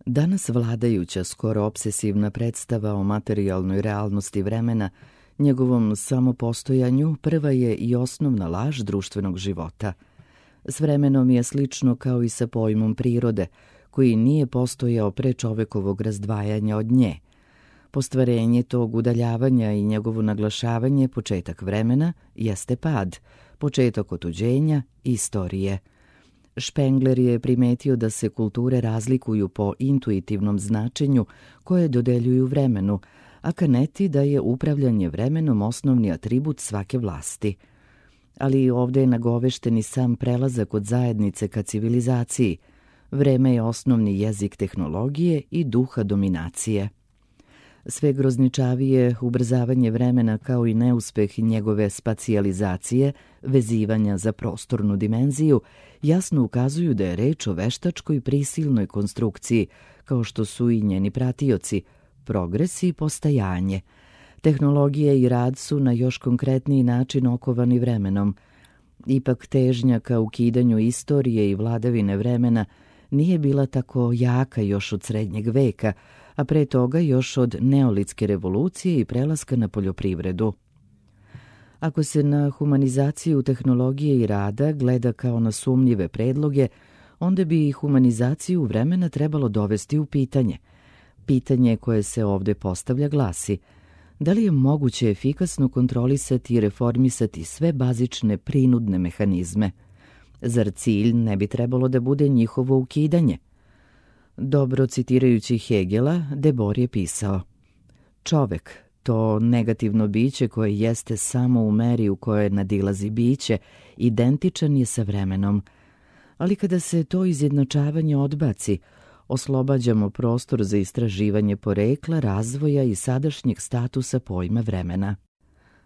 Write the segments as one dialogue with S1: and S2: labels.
S1: Danas vladajuća, skoro obsesivna predstava o materijalnoj realnosti vremena, njegovom samopostojanju, prva je i osnovna laž društvenog života. S vremenom je slično kao i sa pojmom prirode, koji nije postojao pre čovekovog razdvajanja od nje. Postvarenje tog udaljavanja i njegovo naglašavanje, početak vremena, jeste pad, početak otuđenja, istorije. Spengler je primetio da se kulture razlikuju po intuitivnom značenju koje dodeljuju vremenu, a Canetti da je upravljanje vremenom osnovni atribut svake vlasti. Ali ovdje je nagovešteni sam prelazak od zajednice ka civilizaciji. Vreme je osnovni jezik tehnologije i duha dominacije. Sve grozničavije ubrzavanje vremena kao i neuspeh njegove spacijalizacije, vezivanja za prostornu dimenziju, jasno ukazuju da je reč o veštačkoj prisilnoj konstrukciji, kao što su i njeni pratioci, progres i postajanje. Tehnologije i rad su na još konkretniji način okovani vremenom. Ipak težnja ka ukidanju istorije i vladavine vremena nije bila tako jaka još od srednjeg veka, a pre toga još od neolitske revolucije i prelaska na poljoprivredu. Ako se na humanizaciju tehnologije i rada gleda kao na sumnjive predloge, onda bi i humanizaciju vremena trebalo dovesti u pitanje. Pitanje koje se ovdje postavlja glasi: da li je moguće efikasno kontrolisati i reformisati sve bazične prinudne mehanizme? Zar cilj ne bi trebalo da bude njihovo ukidanje? Dobro citirajući Hegela, Debord je pisao: čovek, to negativno biće koje jeste samo u meri u kojoj nadilazi biće, identičan je sa vremenom. Ali kada se to izjednačavanje odbaci, oslobađamo prostor za istraživanje porekla, razvoja i sadašnjeg statusa pojma vremena.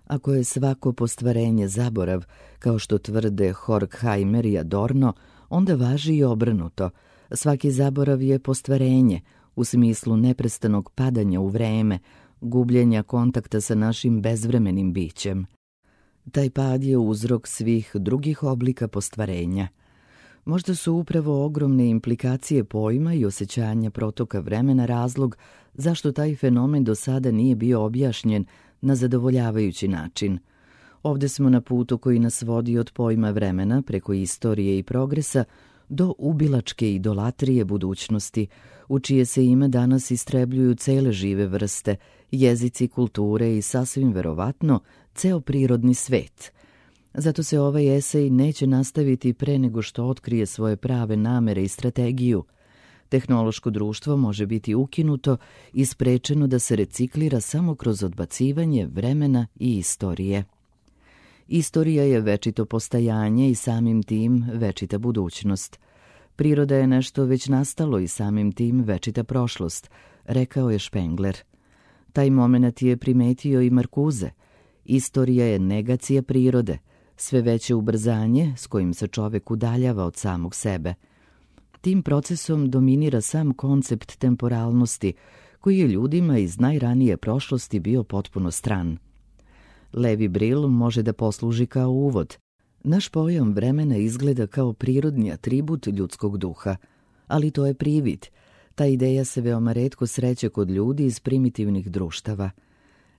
S1: Ako je svako postvarenje zaborav, kao što tvrde Horkheimer i Adorno, onda važi i obrnuto. Svaki zaborav je postvarenje, u smislu neprestanog padanja u vreme, gubljenja kontakta sa našim bezvremenim bićem. Taj pad je uzrok svih drugih oblika postvarenja. Možda su upravo ogromne implikacije pojma i osjećanja protoka vremena razlog zašto taj fenomen do sada nije bio objašnjen na zadovoljavajući način. Ovdje smo na putu koji nas vodi od pojma vremena preko istorije i progresa do ubilačke idolatrije budućnosti, u čije se ime danas istrebljuju cele žive vrste, jezici, kulture i sasvim verovatno ceo prirodni svet. Zato se ovaj esej neće nastaviti pre nego što otkrije svoje prave namere i strategiju. Tehnološko društvo može biti ukinuto i sprečeno da se reciklira samo kroz odbacivanje vremena i istorije. Istorija je večito postajanje i samim tim večita budućnost. Priroda je nešto već nastalo i samim tim večita prošlost, rekao je Spengler. Taj moment je primetio i Marcuse. Istorija je negacija prirode, sve veće ubrzanje s kojim se čovek udaljava od samog sebe. Tim procesom dominira sam koncept temporalnosti, koji je ljudima iz najranije prošlosti bio potpuno stran. Levi Brill može da posluži kao uvod. Naš pojam vremena izgleda kao prirodni atribut ljudskog duha, ali to je privid. Ta ideja se veoma retko sreće kod ljudi iz primitivnih društava.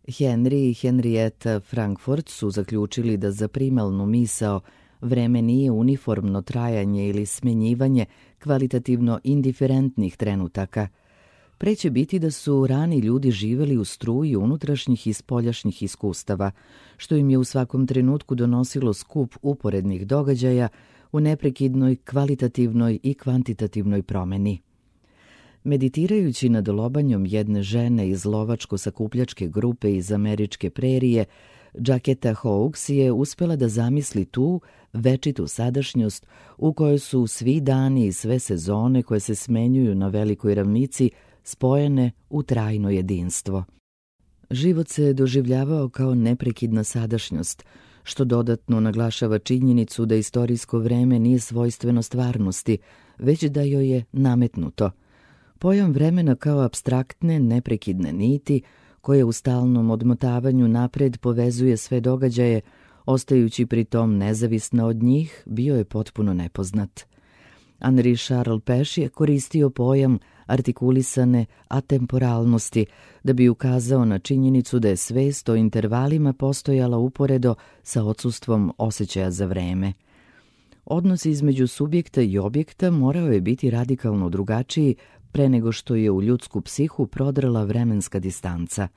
S1: Henry i Henrietta Frankfurt su zaključili da za primalnu misao vreme nije uniformno trajanje ili smenjivanje kvalitativno indiferentnih trenutaka. Pre će biti da su rani ljudi živeli u struji unutrašnjih i spoljašnjih iskustava, što im je u svakom trenutku donosilo skup uporednih događaja u neprekidnoj kvalitativnoj i kvantitativnoj promeni. Meditirajući nad lobanjom jedne žene iz lovačko-sakupljačke grupe iz američke prerije, Jacketa Hawkes je uspela da zamisli tu večitu sadašnjost u kojoj su svi dani i sve sezone koje se smenjuju na velikoj ravnici spojene u trajno jedinstvo. Život se doživljavao kao neprekidna sadašnjost, što dodatno naglašava činjenicu da istorijsko vreme nije svojstveno stvarnosti, već da joj je nametnuto. Pojam vremena kao apstraktne, neprekidne niti, koje u stalnom odmotavanju napred povezuje sve događaje, ostajući pri tom nezavisna od njih, bio je potpuno nepoznat. Henri Charles Pech je koristio pojam artikulisane atemporalnosti da bi ukazao na činjenicu da je svest o intervalima postojala uporedo sa odsustvom osjećaja za vreme. Odnos između subjekta i objekta morao je biti radikalno drugačiji pre nego što je u ljudsku psihu prodrala vremenska distanca.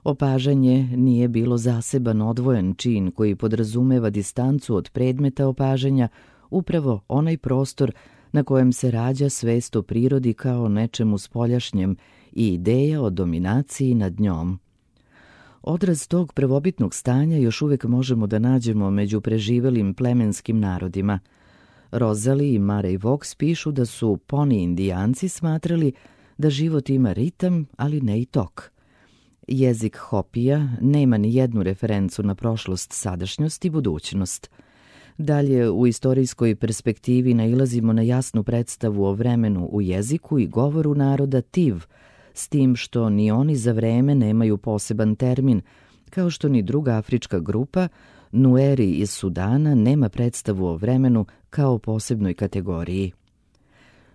S1: Opažanje nije bilo zaseban odvojen čin koji podrazumeva distancu od predmeta opažanja, upravo onaj prostor na kojem se rađa svest o prirodi kao nečemu spoljašnjem i ideja o dominaciji nad njom. Odraz tog prvobitnog stanja još uvijek možemo da nađemo među preživelim plemenskim narodima. Rosalie i Murray Fox pišu da su Poni Indijanci smatrali da život ima ritam, ali ne i tok. Jezik Hopija nema ni jednu referencu na prošlost, sadašnjost i budućnost. Dalje, u istorijskoj perspektivi nailazimo na jasnu predstavu o vremenu u jeziku i govoru naroda Tiv, s tim što ni oni za vreme nemaju poseban termin, kao što ni druga afrička grupa, Nueri iz Sudana, nema predstavu o vremenu kao posebnoj kategoriji.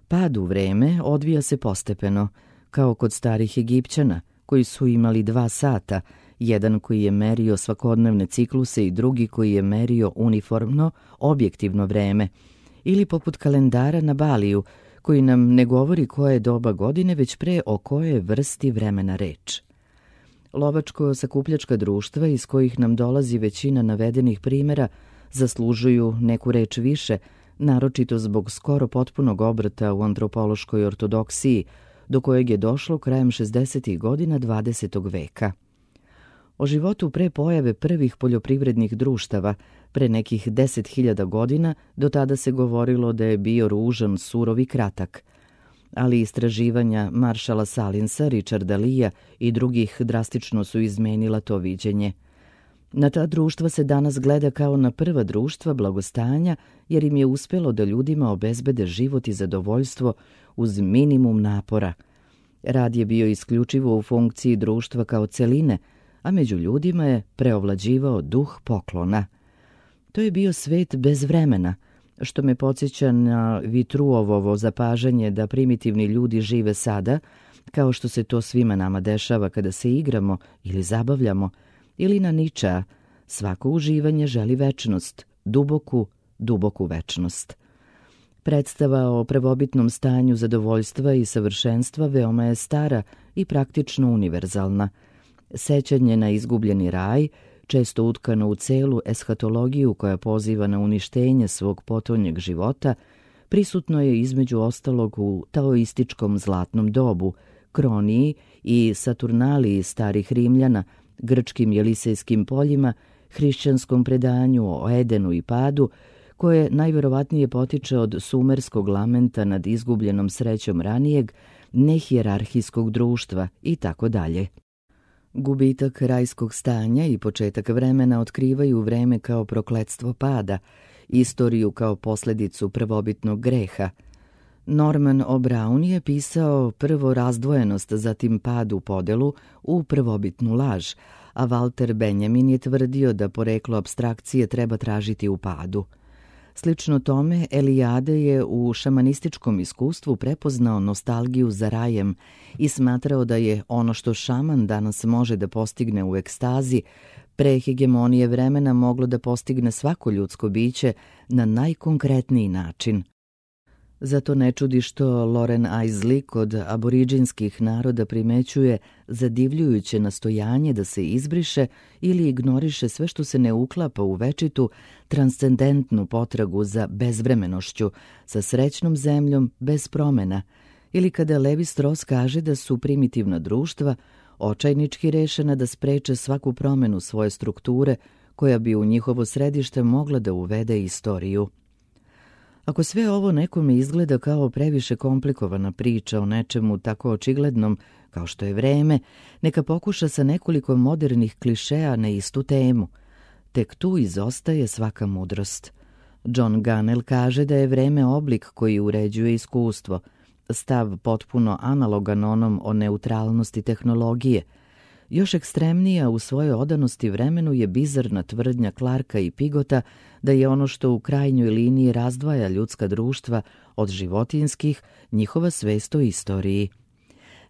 S1: Pad u vreme odvija se postepeno, kao kod starih Egipćana, koji su imali 2 sata, jedan koji je merio svakodnevne cikluse i drugi koji je merio uniformno, objektivno vreme, ili poput kalendara na Baliju, koji nam ne govori koje je doba godine, već pre o kojoj vrsti vremena reč. Lovačko-sakupljačka društva iz kojih nam dolazi većina navedenih primjera zaslužuju neku reč više, naročito zbog skoro potpunog obrata u antropološkoj ortodoksiji, do kojeg je došlo krajem 60. godina 20. veka. O životu pre pojave prvih poljoprivrednih društava, pre nekih 10.000 godina, do tada se govorilo da je bio ružan, surov i kratak. Ali istraživanja Maršala Salinsa, Richarda Leea i drugih drastično su izmenila to viđenje. Na ta društva se danas gleda kao na prva društva blagostanja, jer im je uspelo da ljudima obezbede život i zadovoljstvo uz minimum napora. Rad je bio isključivo u funkciji društva kao celine, a među ljudima je preovlađivao duh poklona. To je bio svet bez vremena, što me podsjeća na Vitruovovo zapažanje da primitivni ljudi žive sada, kao što se to svima nama dešava kada se igramo ili zabavljamo, ili na Ničea, svako uživanje želi večnost, duboku večnost. Predstava o prvobitnom stanju zadovoljstva i savršenstva veoma je stara i praktično univerzalna. Sećanje na izgubljeni raj, često utkano u celu eshatologiju koja poziva na uništenje svog potonjeg života, prisutno je između ostalog u taoističkom zlatnom dobu, Kroniji i Saturnaliji starih Rimljana, grčkim jelisejskim poljima, hrišćanskom predanju o Edenu i padu, koje najverovatnije potiče od sumerskog lamenta nad izgubljenom srećom ranijeg, nehijerarhijskog društva i tako dalje. Gubitak rajskog stanja i početak vremena otkrivaju vreme kao prokletstvo pada, istoriju kao posljedicu prvobitnog greha. Norman O'Brien je pisao prvo razdvojenost, zatim pad u podelu u prvobitnu laž, a Walter Benjamin je tvrdio da poreklo apstrakcije treba tražiti u padu. Slično tome, Eliade je u šamanističkom iskustvu prepoznao nostalgiju za rajem i smatrao da je ono što šaman danas može da postigne u ekstazi, pre hegemonije vremena moglo da postigne svako ljudsko biće na najkonkretniji način. Zato ne čudi što Loren Eiseley kod aboriđinskih naroda primećuje zadivljujuće nastojanje da se izbriše ili ignoriše sve što se ne uklapa u večitu, transcendentnu potragu za bezvremenošću, sa srećnom zemljom bez promena, ili kada Levi Strauss kaže da su primitivna društva očajnički rešena da spreče svaku promenu svoje strukture koja bi u njihovo središte mogla da uvede istoriju. Ako sve ovo nekome izgleda kao previše komplikovana priča o nečemu tako očiglednom kao što je vreme, neka pokuša sa nekoliko modernih klišeja na istu temu. Tek tu izostaje svaka mudrost. John Gunnell kaže da je vreme oblik koji uređuje iskustvo, stav potpuno analogan onom o neutralnosti tehnologije. Još ekstremnija u svojoj odanosti vremenu je bizarna tvrdnja Clarka i Pigota da je ono što u krajnjoj liniji razdvaja ljudska društva od životinjskih, njihova svest o istoriji.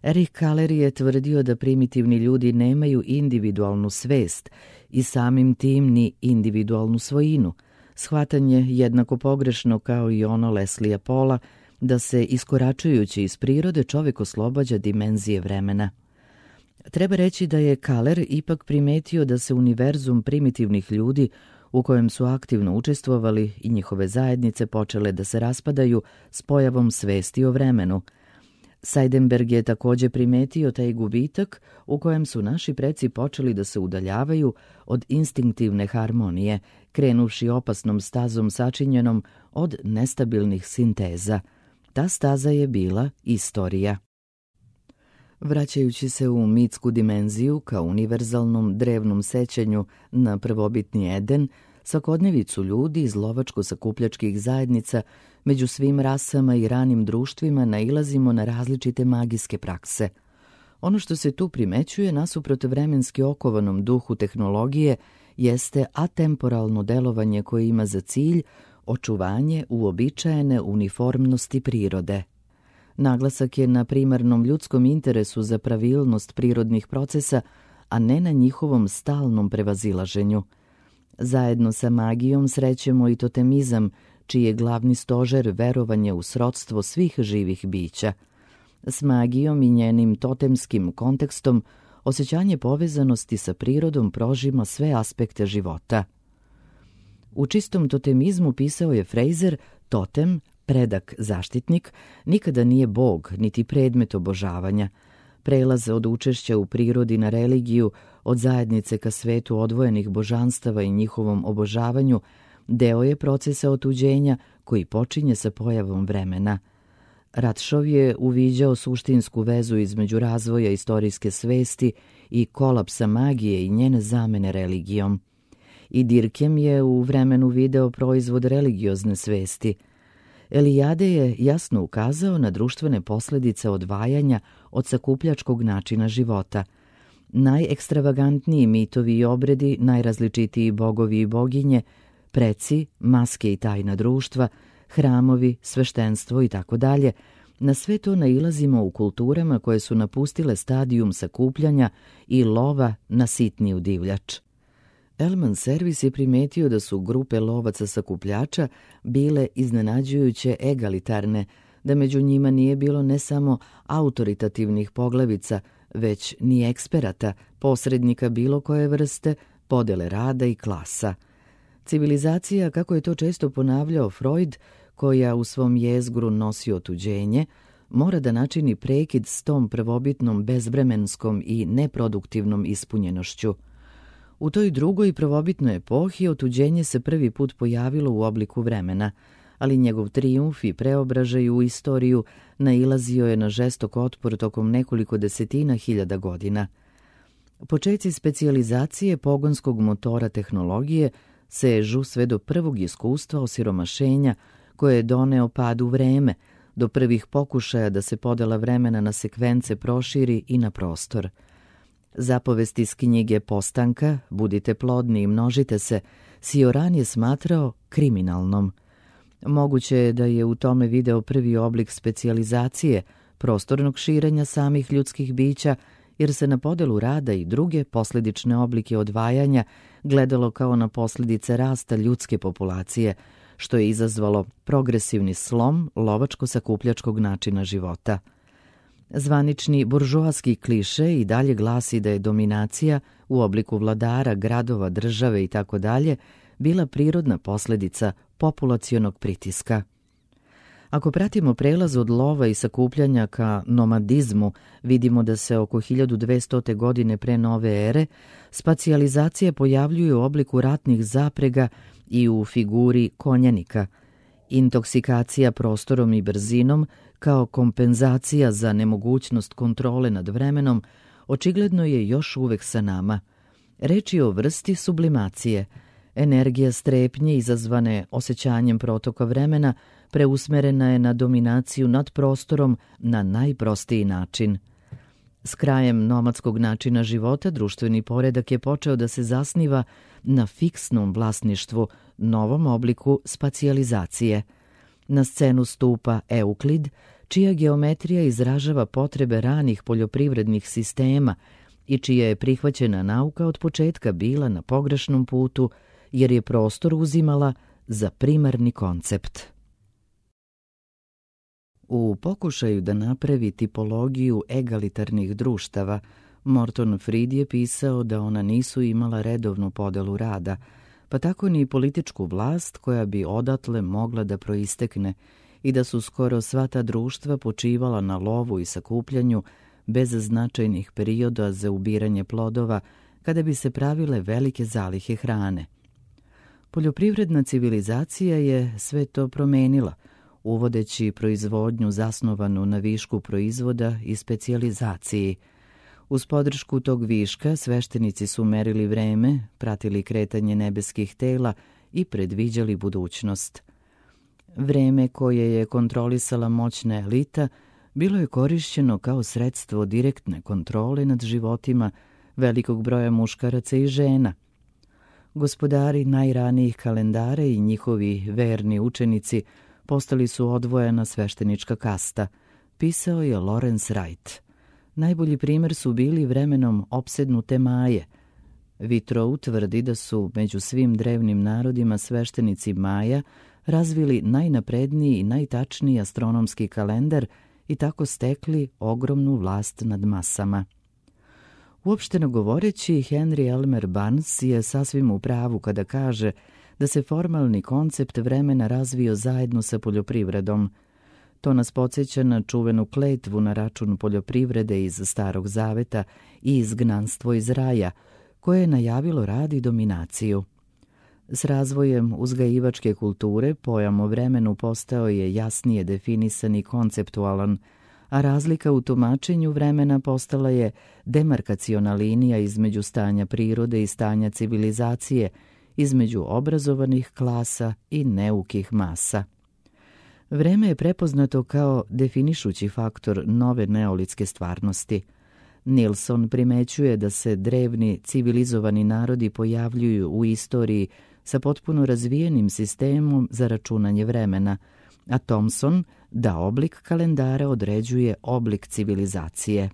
S1: Erich Kahler je tvrdio da primitivni ljudi nemaju individualnu svest i samim tim ni individualnu svojinu, shvatanje jednako pogrešno kao i ono Leslie Paula da se iskoračujući iz prirode čovjek oslobađa dimenzije vremena. Treba reći da je Kahler ipak primetio da se univerzum primitivnih ljudi u kojem su aktivno učestvovali i njihove zajednice počele da se raspadaju s pojavom svesti o vremenu. Seidenberg je također primetio taj gubitak u kojem su naši preci počeli da se udaljavaju od instinktivne harmonije, krenuvši opasnom stazom sačinjenom od nestabilnih sinteza. Ta staza je bila istorija. Vraćajući se u mitsku dimenziju kao univerzalnom drevnom sećanju na prvobitni Eden, svakodnevicu ljudi iz lovačko-sakupljačkih zajednica među svim rasama i ranim društvima nailazimo na različite magijske prakse. Ono što se tu primećuje nasuprot vremenski okovanom duhu tehnologije jeste atemporalno delovanje koje ima za cilj očuvanje uobičajene uniformnosti prirode. Naglasak je na primarnom ljudskom interesu za pravilnost prirodnih procesa, a ne na njihovom stalnom prevazilaženju. Zajedno sa magijom srećemo i totemizam, čiji je glavni stožer verovanje u srodstvo svih živih bića. S magijom i njenim totemskim kontekstom osjećanje povezanosti sa prirodom prožima sve aspekte života. U čistom totemizmu, pisao je Fraser, totem, predak zaštitnik, nikada nije bog niti predmet obožavanja. Prelaz od učešća u prirodi na religiju, od zajednice ka svetu odvojenih božanstava i njihovom obožavanju, deo je procesa otuđenja koji počinje sa pojavom vremena. Ratšov je uviđao suštinsku vezu između razvoja istorijske svesti i kolapsa magije i njene zamene religijom. I Dirkem je u vremenu video proizvod religiozne svesti. Elijade je jasno ukazao na društvene posljedice odvajanja od sakupljačkog načina života. Najekstravagantniji mitovi i obredi, najrazličitiji bogovi i boginje, preci, maske i tajna društva, hramovi, sveštenstvo i tako dalje, na sve to nailazimo u kulturama koje su napustile stadijum sakupljanja i lova na sitniju divljač. Elman Servis je primetio da su grupe lovaca sakupljača bile iznenađujuće egalitarne, da među njima nije bilo ne samo autoritativnih poglavica, već ni eksperata, posrednika bilo koje vrste, podele rada i klasa. Civilizacija, kako je to često ponavljao Freud, koja u svom jezgru nosi otuđenje, mora da načini prekid s tom prvobitnom bezvremenskom i neproduktivnom ispunjenošću. U toj drugoj prvobitnoj epohi otuđenje se prvi put pojavilo u obliku vremena, ali njegov trijumf i preobražaj u istoriju nailazio je na žestok otpor tokom nekoliko desetina hiljada godina. Počeci specijalizacije pogonskog motora tehnologije sežu sve do prvog iskustva osiromašenja koje je doneo pad u vreme, do prvih pokušaja da se podela vremena na sekvence proširi i na prostor. Zapovest iz knjige Postanka, budite plodni i množite se, Sioran je smatrao kriminalnom. Moguće je da je u tome video prvi oblik specijalizacije, prostornog širenja samih ljudskih bića, jer se na podelu rada i druge posljedične oblike odvajanja gledalo kao na posljedice rasta ljudske populacije, što je izazvalo progresivni slom lovačko-sakupljačkog načina života. Zvanični buržoaski kliše i dalje glasi da je dominacija u obliku vladara, gradova, države itd. Bila prirodna posljedica populacionog pritiska. Ako pratimo prelaz od lova i sakupljanja ka nomadizmu, vidimo da se oko 1200. godine pre nove ere spacijalizacija pojavljuje u obliku ratnih zaprega i u figuri konjanika. Intoksikacija prostorom i brzinom kao kompenzacija za nemogućnost kontrole nad vremenom očigledno je još uvek sa nama. Reč je o vrsti sublimacije. Energija strepnje izazvane osjećanjem protoka vremena preusmerena je na dominaciju nad prostorom na najprostiji način. S krajem nomadskog načina života društveni poredak je počeo da se zasniva na fiksnom vlasništvu, novom obliku spacijalizacije. Na scenu stupa Euklid, čija geometrija izražava potrebe ranih poljoprivrednih sistema i čija je prihvaćena nauka od početka bila na pogrešnom putu, jer je prostor uzimala za primarni koncept. U pokušaju da napravi tipologiju egalitarnih društava, Morton Fried je pisao da ona nisu imala redovnu podelu rada, pa tako ni političku vlast koja bi odatle mogla da proistekne, i da su skoro sva ta društva počivala na lovu i sakupljanju bez značajnih perioda za ubiranje plodova, kada bi se pravile velike zalihe hrane. Poljoprivredna civilizacija je sve to promenila, uvodeći proizvodnju zasnovanu na višku proizvoda i specijalizaciji. Uz podršku tog viška sveštenici su merili vreme, pratili kretanje nebeskih tela i predviđali budućnost. Vreme koje je kontrolisala moćna elita bilo je korišćeno kao sredstvo direktne kontrole nad životima velikog broja muškaraca i žena. Gospodari najranijih kalendara i njihovi verni učenici postali su odvojena sveštenička kasta, pisao je Lawrence Wright. Najbolji primjer su bili vremenom opsednute Maje. Vitrou tvrdi da su među svim drevnim narodima sveštenici Maja razvili najnapredniji i najtačniji astronomski kalendar i tako stekli ogromnu vlast nad masama. Uopšteno govoreći, Henry Elmer Barnes je sasvim u pravu kada kaže da se formalni koncept vremena razvio zajedno sa poljoprivredom. To nas podsjeća na čuvenu kletvu na račun poljoprivrede iz Starog Zaveta i izgnanstvo iz raja, koje je najavilo rad i dominaciju. S razvojem uzgajivačke kulture pojam o vremenu postao je jasnije definisan i konceptualan, a razlika u tumačenju vremena postala je demarkaciona linija između stanja prirode i stanja civilizacije, između obrazovanih klasa i neukih masa. Vreme je prepoznato kao definišući faktor nove neolitske stvarnosti. Nilsson primećuje da se drevni civilizovani narodi pojavljuju u istoriji sa potpuno razvijenim sistemom za računanje vremena, a Thomson da oblik kalendara određuje oblik civilizacije.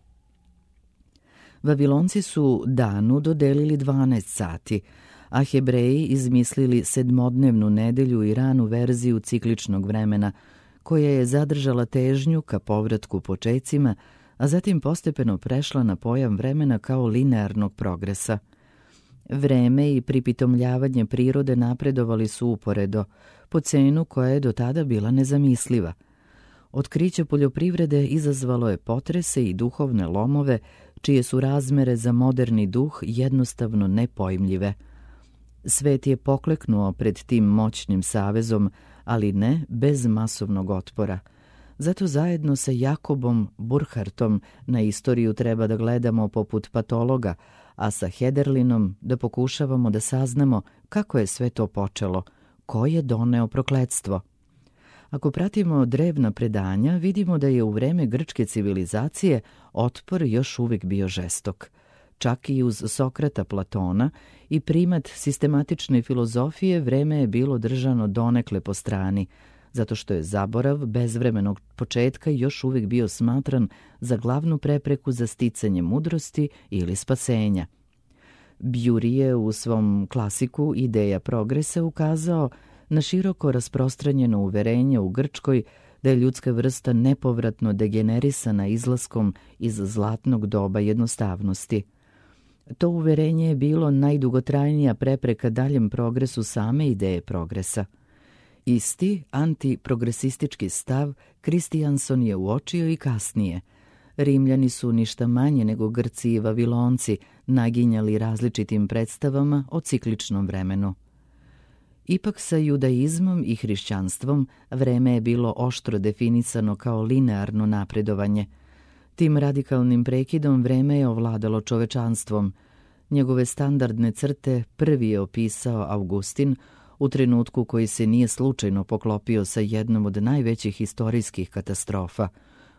S1: Vavilonci su danu dodelili 12 sati, a Hebreji izmislili sedmodnevnu nedelju i ranu verziju cikličnog vremena, koja je zadržala težnju ka povratku počecima, a zatim postepeno prešla na pojam vremena kao linearnog progresa. Vreme i pripitomljavanje prirode napredovali su uporedo, po cenu koja je do tada bila nezamisliva. Otkriće poljoprivrede izazvalo je potrese i duhovne lomove, čije su razmere za moderni duh jednostavno nepojmljive. Svet je pokleknuo pred tim moćnim savezom, ali ne bez masovnog otpora. Zato zajedno sa Jakobom Burkhartom na istoriju treba da gledamo poput patologa, a sa Hederlinom da pokušavamo da saznamo kako je sve to počelo, ko je doneo prokletstvo. Ako pratimo drevna predanja, vidimo da je u vreme grčke civilizacije otpor još uvijek bio žestok. Čak i uz Sokrata, Platona i primat sistematične filozofije vreme je bilo držano donekle po strani, zato što je zaborav bezvremenog početka još uvijek bio smatran za glavnu prepreku za sticanje mudrosti ili spasenja. Bury je u svom klasiku Ideja progresa ukazao na široko rasprostranjeno uverenje u Grčkoj da je ljudska vrsta nepovratno degenerisana izlaskom iz zlatnog doba jednostavnosti. To uverenje je bilo najdugotrajnija prepreka daljem progresu same ideje progresa. Isti antiprogresistički stav Kristijanson je uočio i kasnije. Rimljani su ništa manje nego Grci i Vavilonci naginjali različitim predstavama o cikličnom vremenu. Ipak sa judaizmom i hrišćanstvom vreme je bilo oštro definisano kao linearno napredovanje. Tim radikalnim prekidom vreme je ovladalo čovečanstvom. Njegove standardne crte prvi je opisao Augustin u trenutku koji se nije slučajno poklopio sa jednom od najvećih istorijskih katastrofa,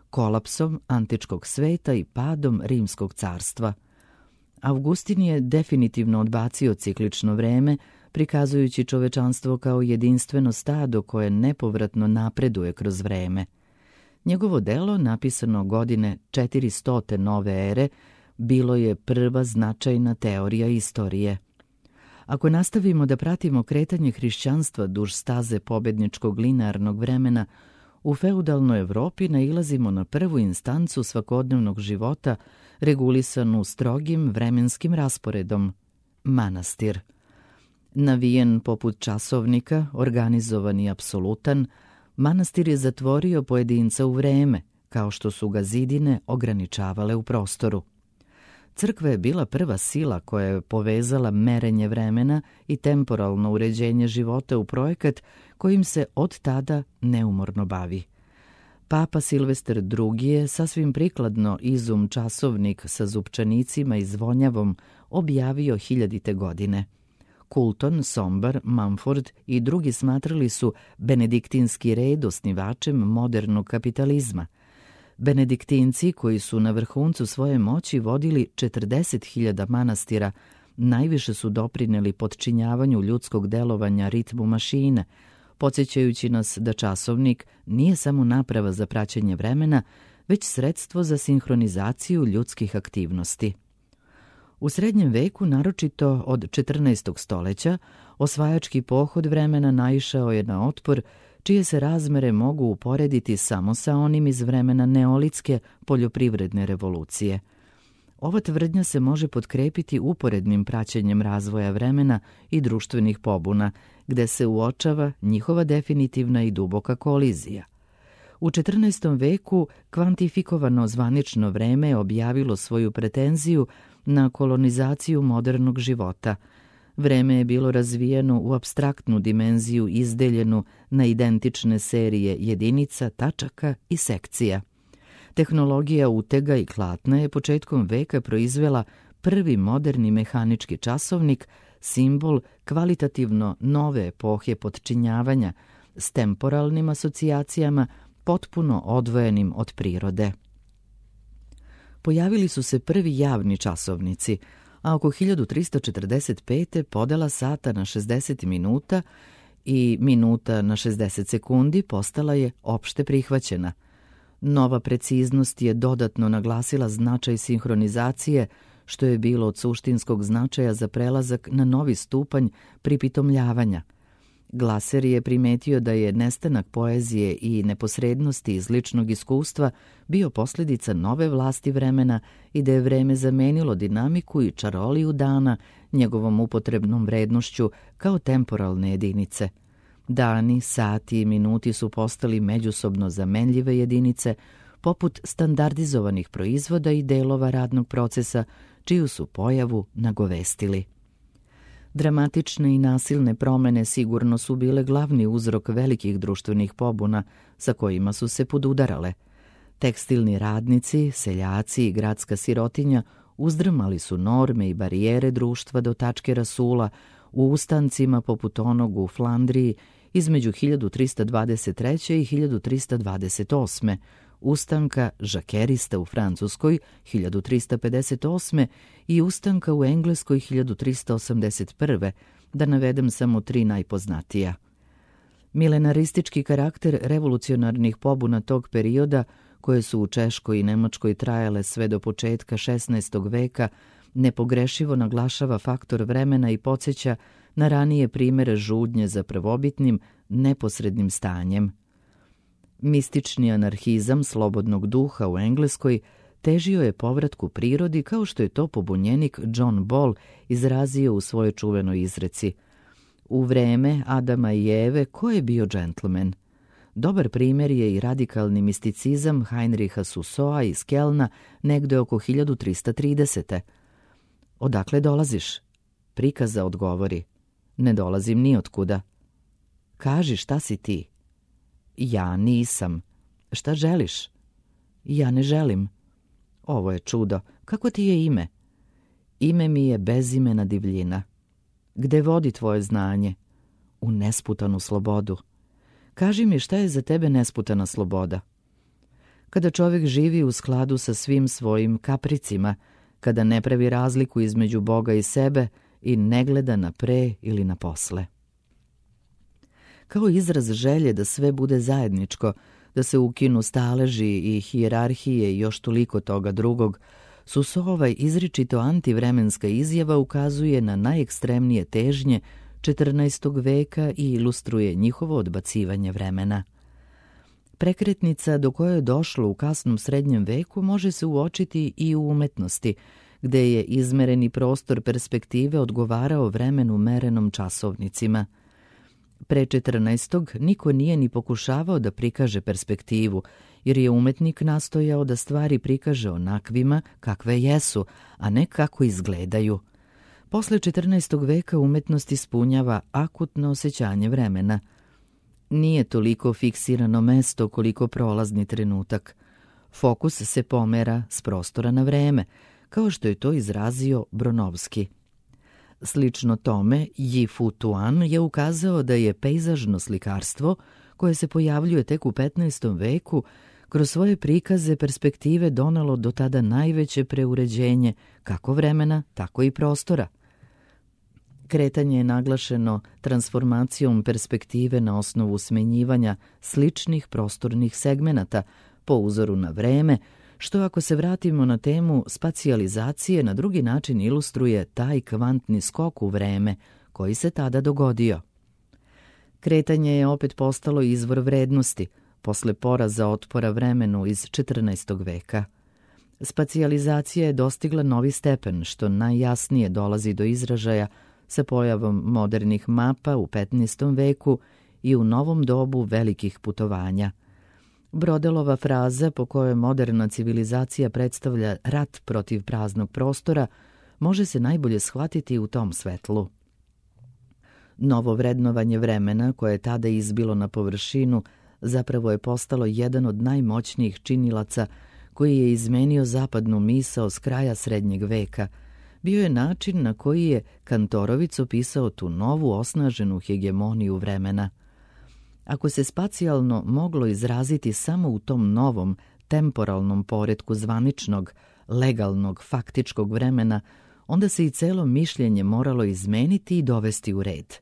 S1: kolapsom antičkog sveta i padom Rimskog carstva. Augustin je definitivno odbacio ciklično vreme, prikazujući čovečanstvo kao jedinstveno stado koje nepovratno napreduje kroz vreme. Njegovo delo, napisano godine 400. nove ere, bilo je prva značajna teorija istorije. Ako nastavimo da pratimo kretanje hrišćanstva duž staze pobedničkog linearnog vremena, u feudalnoj Evropi nailazimo na prvu instancu svakodnevnog života regulisanu strogim vremenskim rasporedom – manastir. Navijen poput časovnika, organizovan i apsolutan, manastir je zatvorio pojedinca u vreme, kao što su ga zidine ograničavale u prostoru. Crkva je bila prva sila koja je povezala merenje vremena i temporalno uređenje života u projekat kojim se od tada neumorno bavi. Papa Silvestar II je sasvim prikladno izum časovnik sa zupčanicima i zvonjavom objavio 1000. godine. Coulton, Sombar, Mumford i drugi smatrali su benediktinski red osnivačem modernog kapitalizma. Benediktinci, koji su na vrhuncu svoje moći vodili 40.000 manastira, najviše su doprineli potčinjavanju ljudskog delovanja ritmu mašine, podsjećajući nas da časovnik nije samo naprava za praćenje vremena, već sredstvo za sinhronizaciju ljudskih aktivnosti. U srednjem veku, naročito od 14. stoljeća, osvajački pohod vremena naišao je na otpor, čije se razmere mogu uporediti samo sa onim iz vremena neolitske poljoprivredne revolucije. Ova tvrdnja se može potkrepiti uporednim praćenjem razvoja vremena i društvenih pobuna, gde se uočava njihova definitivna i duboka kolizija. U 14. veku kvantifikovano zvanično vreme je objavilo svoju pretenziju na kolonizaciju modernog života. Vreme je bilo razvijeno u apstraktnu dimenziju izdeljenu na identične serije jedinica, tačaka i sekcija. Tehnologija utega i klatna je početkom veka proizvela prvi moderni mehanički časovnik, simbol kvalitativno nove epohe potčinjavanja s temporalnim asocijacijama potpuno odvojenim od prirode. Pojavili su se prvi javni časovnici, a oko 1345. podela sata na 60 minuta i minuta na 60 sekundi postala je opšte prihvaćena. Nova preciznost je dodatno naglasila značaj sinhronizacije, što je bilo od suštinskog značaja za prelazak na novi stupanj pripitomljavanja. Glaser je primetio da je nestanak poezije i neposrednosti iz ličnog iskustva bio posljedica nove vlasti vremena i da je vreme zamenilo dinamiku i čaroliju dana njegovom upotrebnom vrednošću kao temporalne jedinice. Dani, sati i minuti su postali međusobno zamenljive jedinice, poput standardizovanih proizvoda i delova radnog procesa, čiju su pojavu nagovestili. Dramatične i nasilne promene sigurno su bile glavni uzrok velikih društvenih pobuna sa kojima su se podudarale. Tekstilni radnici, seljaci i gradska sirotinja uzdrmali su norme i barijere društva do tačke rasula u ustancima poput onog u Flandriji između 1323. i 1328. ustanka žakerista u Francuskoj 1358. i ustanka u Engleskoj 1381. da navedem samo 3 najpoznatija. Milenaristički karakter revolucionarnih pobuna tog perioda, koje su u Češkoj i Nemačkoj trajale sve do početka 16. veka, nepogrešivo naglašava faktor vremena i podsjeća na ranije primere žudnje za prvobitnim, neposrednim stanjem. Mistični anarhizam slobodnog duha u Engleskoj težio je povratku prirodi, kao što je to pobunjenik John Ball izrazio u svojoj čuvenoj izreci: u vreme Adama i Eve ko je bio džentlmen? Dobar primjer je i radikalni misticizam Heinricha Sussoa iz Kelna negde oko 1330. Odakle dolaziš? Prikaza odgovori: ne dolazim ni otkuda. Kaži, šta si ti? Ja nisam. Šta želiš? Ja ne želim. Ovo je čudo. Kako ti je ime? Ime mi je bezimena divljina. Gde vodi tvoje znanje? U nesputanu slobodu. Kaži mi, šta je za tebe nesputana sloboda? Kada čovjek živi u skladu sa svim svojim kapricima, kada ne pravi razliku između Boga i sebe i ne gleda na pre ili na posle. Kao izraz želje da sve bude zajedničko, da se ukinu staleži i hijerarhije i još toliko toga drugog, Susova izričito antivremenska izjava ukazuje na najekstremnije težnje 14. veka i ilustruje njihovo odbacivanje vremena. Prekretnica do koje je došlo u kasnom srednjem veku može se uočiti i u umetnosti, gde je izmereni prostor perspektive odgovarao vremenu merenom časovnicima. Pre 14. niko nije ni pokušavao da prikaže perspektivu, jer je umetnik nastojao da stvari prikaže onakvima kakve jesu, a ne kako izgledaju. Posle 14. veka umetnost ispunjava akutno osjećanje vremena. Nije toliko fiksirano mesto koliko prolazni trenutak. Fokus se pomera s prostora na vreme, kao što je to izrazio Bronovski. Slično tome, Yi Fu Tuan je ukazao da je pejzažno slikarstvo, koje se pojavljuje tek u 15. veku, kroz svoje prikaze perspektive donelo do tada najveće preuređenje kako vremena, tako i prostora. Kretanje je naglašeno transformacijom perspektive na osnovu smenjivanja sličnih prostornih segmenata po uzoru na vreme, što ako se vratimo na temu spacijalizacije na drugi način ilustruje taj kvantni skok u vreme koji se tada dogodio. Kretanje je opet postalo izvor vrednosti posle poraza otpora vremenu iz 14. veka. Spacijalizacija je dostigla novi stepen, što najjasnije dolazi do izražaja sa pojavom modernih mapa u 15. veku i u novom dobu velikih putovanja. Brodelova fraza po kojoj moderna civilizacija predstavlja rat protiv praznog prostora može se najbolje shvatiti u tom svetlu. Novo vrednovanje vremena, koje je tada izbilo na površinu, zapravo je postalo jedan od najmoćnijih činilaca koji je izmenio zapadnu misao s kraja srednjeg veka. Bio je način na koji je Kantorovic opisao tu novu osnaženu hegemoniju vremena. Ako se spacijalno moglo izraziti samo u tom novom, temporalnom poretku zvaničnog, legalnog, faktičkog vremena, onda se i celo mišljenje moralo izmeniti i dovesti u red.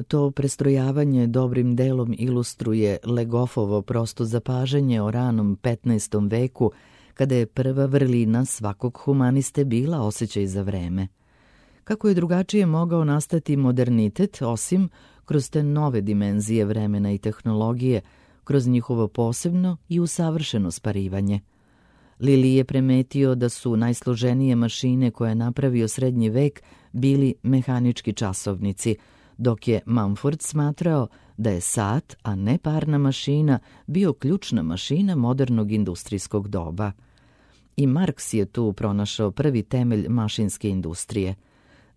S1: To prestrojavanje dobrim delom ilustruje Legoffovo prosto zapažanje o ranom 15. veku, kada je prva vrlina svakog humaniste bila osjećaj za vreme. Kako je drugačije mogao nastati modernitet, osim kroz te nove dimenzije vremena i tehnologije, kroz njihovo posebno i usavršeno sparivanje. Lili je primetio da su najsloženije mašine koje je napravio srednji vek bili mehanički časovnici, dok je Mumford smatrao da je sat, a ne parna mašina, bio ključna mašina modernog industrijskog doba. I Marks je tu pronašao prvi temelj mašinske industrije.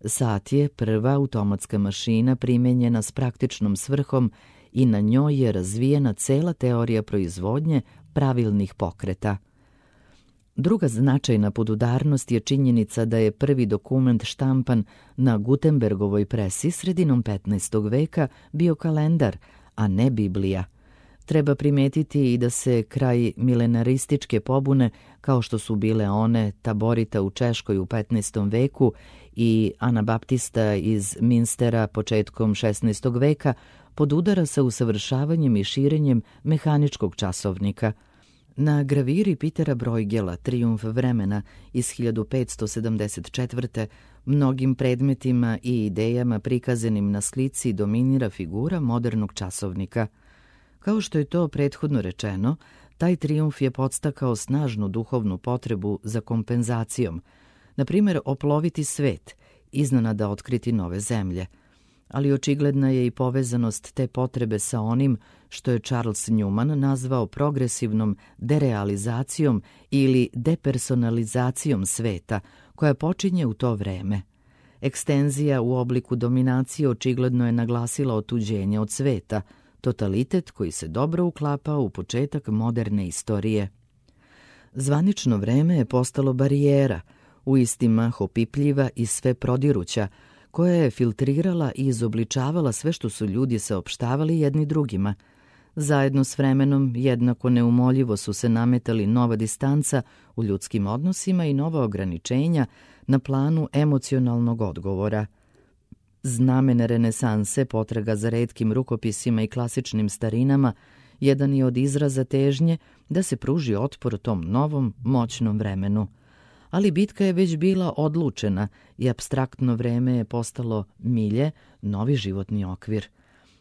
S1: Sat je prva automatska mašina primenjena s praktičnom svrhom i na njoj je razvijena cela teorija proizvodnje pravilnih pokreta. Druga značajna podudarnost je činjenica da je prvi dokument štampan na Gutenbergovoj presi sredinom 15. veka bio kalendar, a ne Biblija. Treba primetiti i da se kraj milenarističke pobune, kao što su bile one Taborita u Češkoj u 15. veku i Anabaptista iz Minstera početkom 16. veka, podudara sa usavršavanjem i širenjem mehaničkog časovnika. Na graviri Petera Bruegela Trijumf vremena iz 1574. mnogim predmetima i idejama prikazanim na slici dominira figura modernog časovnika. Kao što je to prethodno rečeno, taj trijumf je podstakao snažnu duhovnu potrebu za kompenzacijom, na primjer oploviti svet, iznenada otkriti nove zemlje. Ali očigledna je i povezanost te potrebe sa onim što je Charles Newman nazvao progresivnom derealizacijom ili depersonalizacijom sveta, koja počinje u to vreme. Ekstenzija u obliku dominacije očigledno je naglasila otuđenje od sveta, totalitet koji se dobro uklapao u početak moderne istorije. Zvanično vreme je postalo barijera, u isti mah opipljiva i sve prodiruća, koja je filtrirala i izobličavala sve što su ljudi saopštavali jedni drugima. Zajedno s vremenom jednako neumoljivo su se nametali nova distanca u ljudskim odnosima i nova ograničenja na planu emocionalnog odgovora. Znamen renesanse, potraga za retkim rukopisima i klasičnim starinama, jedan je od izraza težnje da se pruži otpor tom novom, moćnom vremenu. Ali bitka je već bila odlučena i apstraktno vreme je postalo milje, novi životni okvir.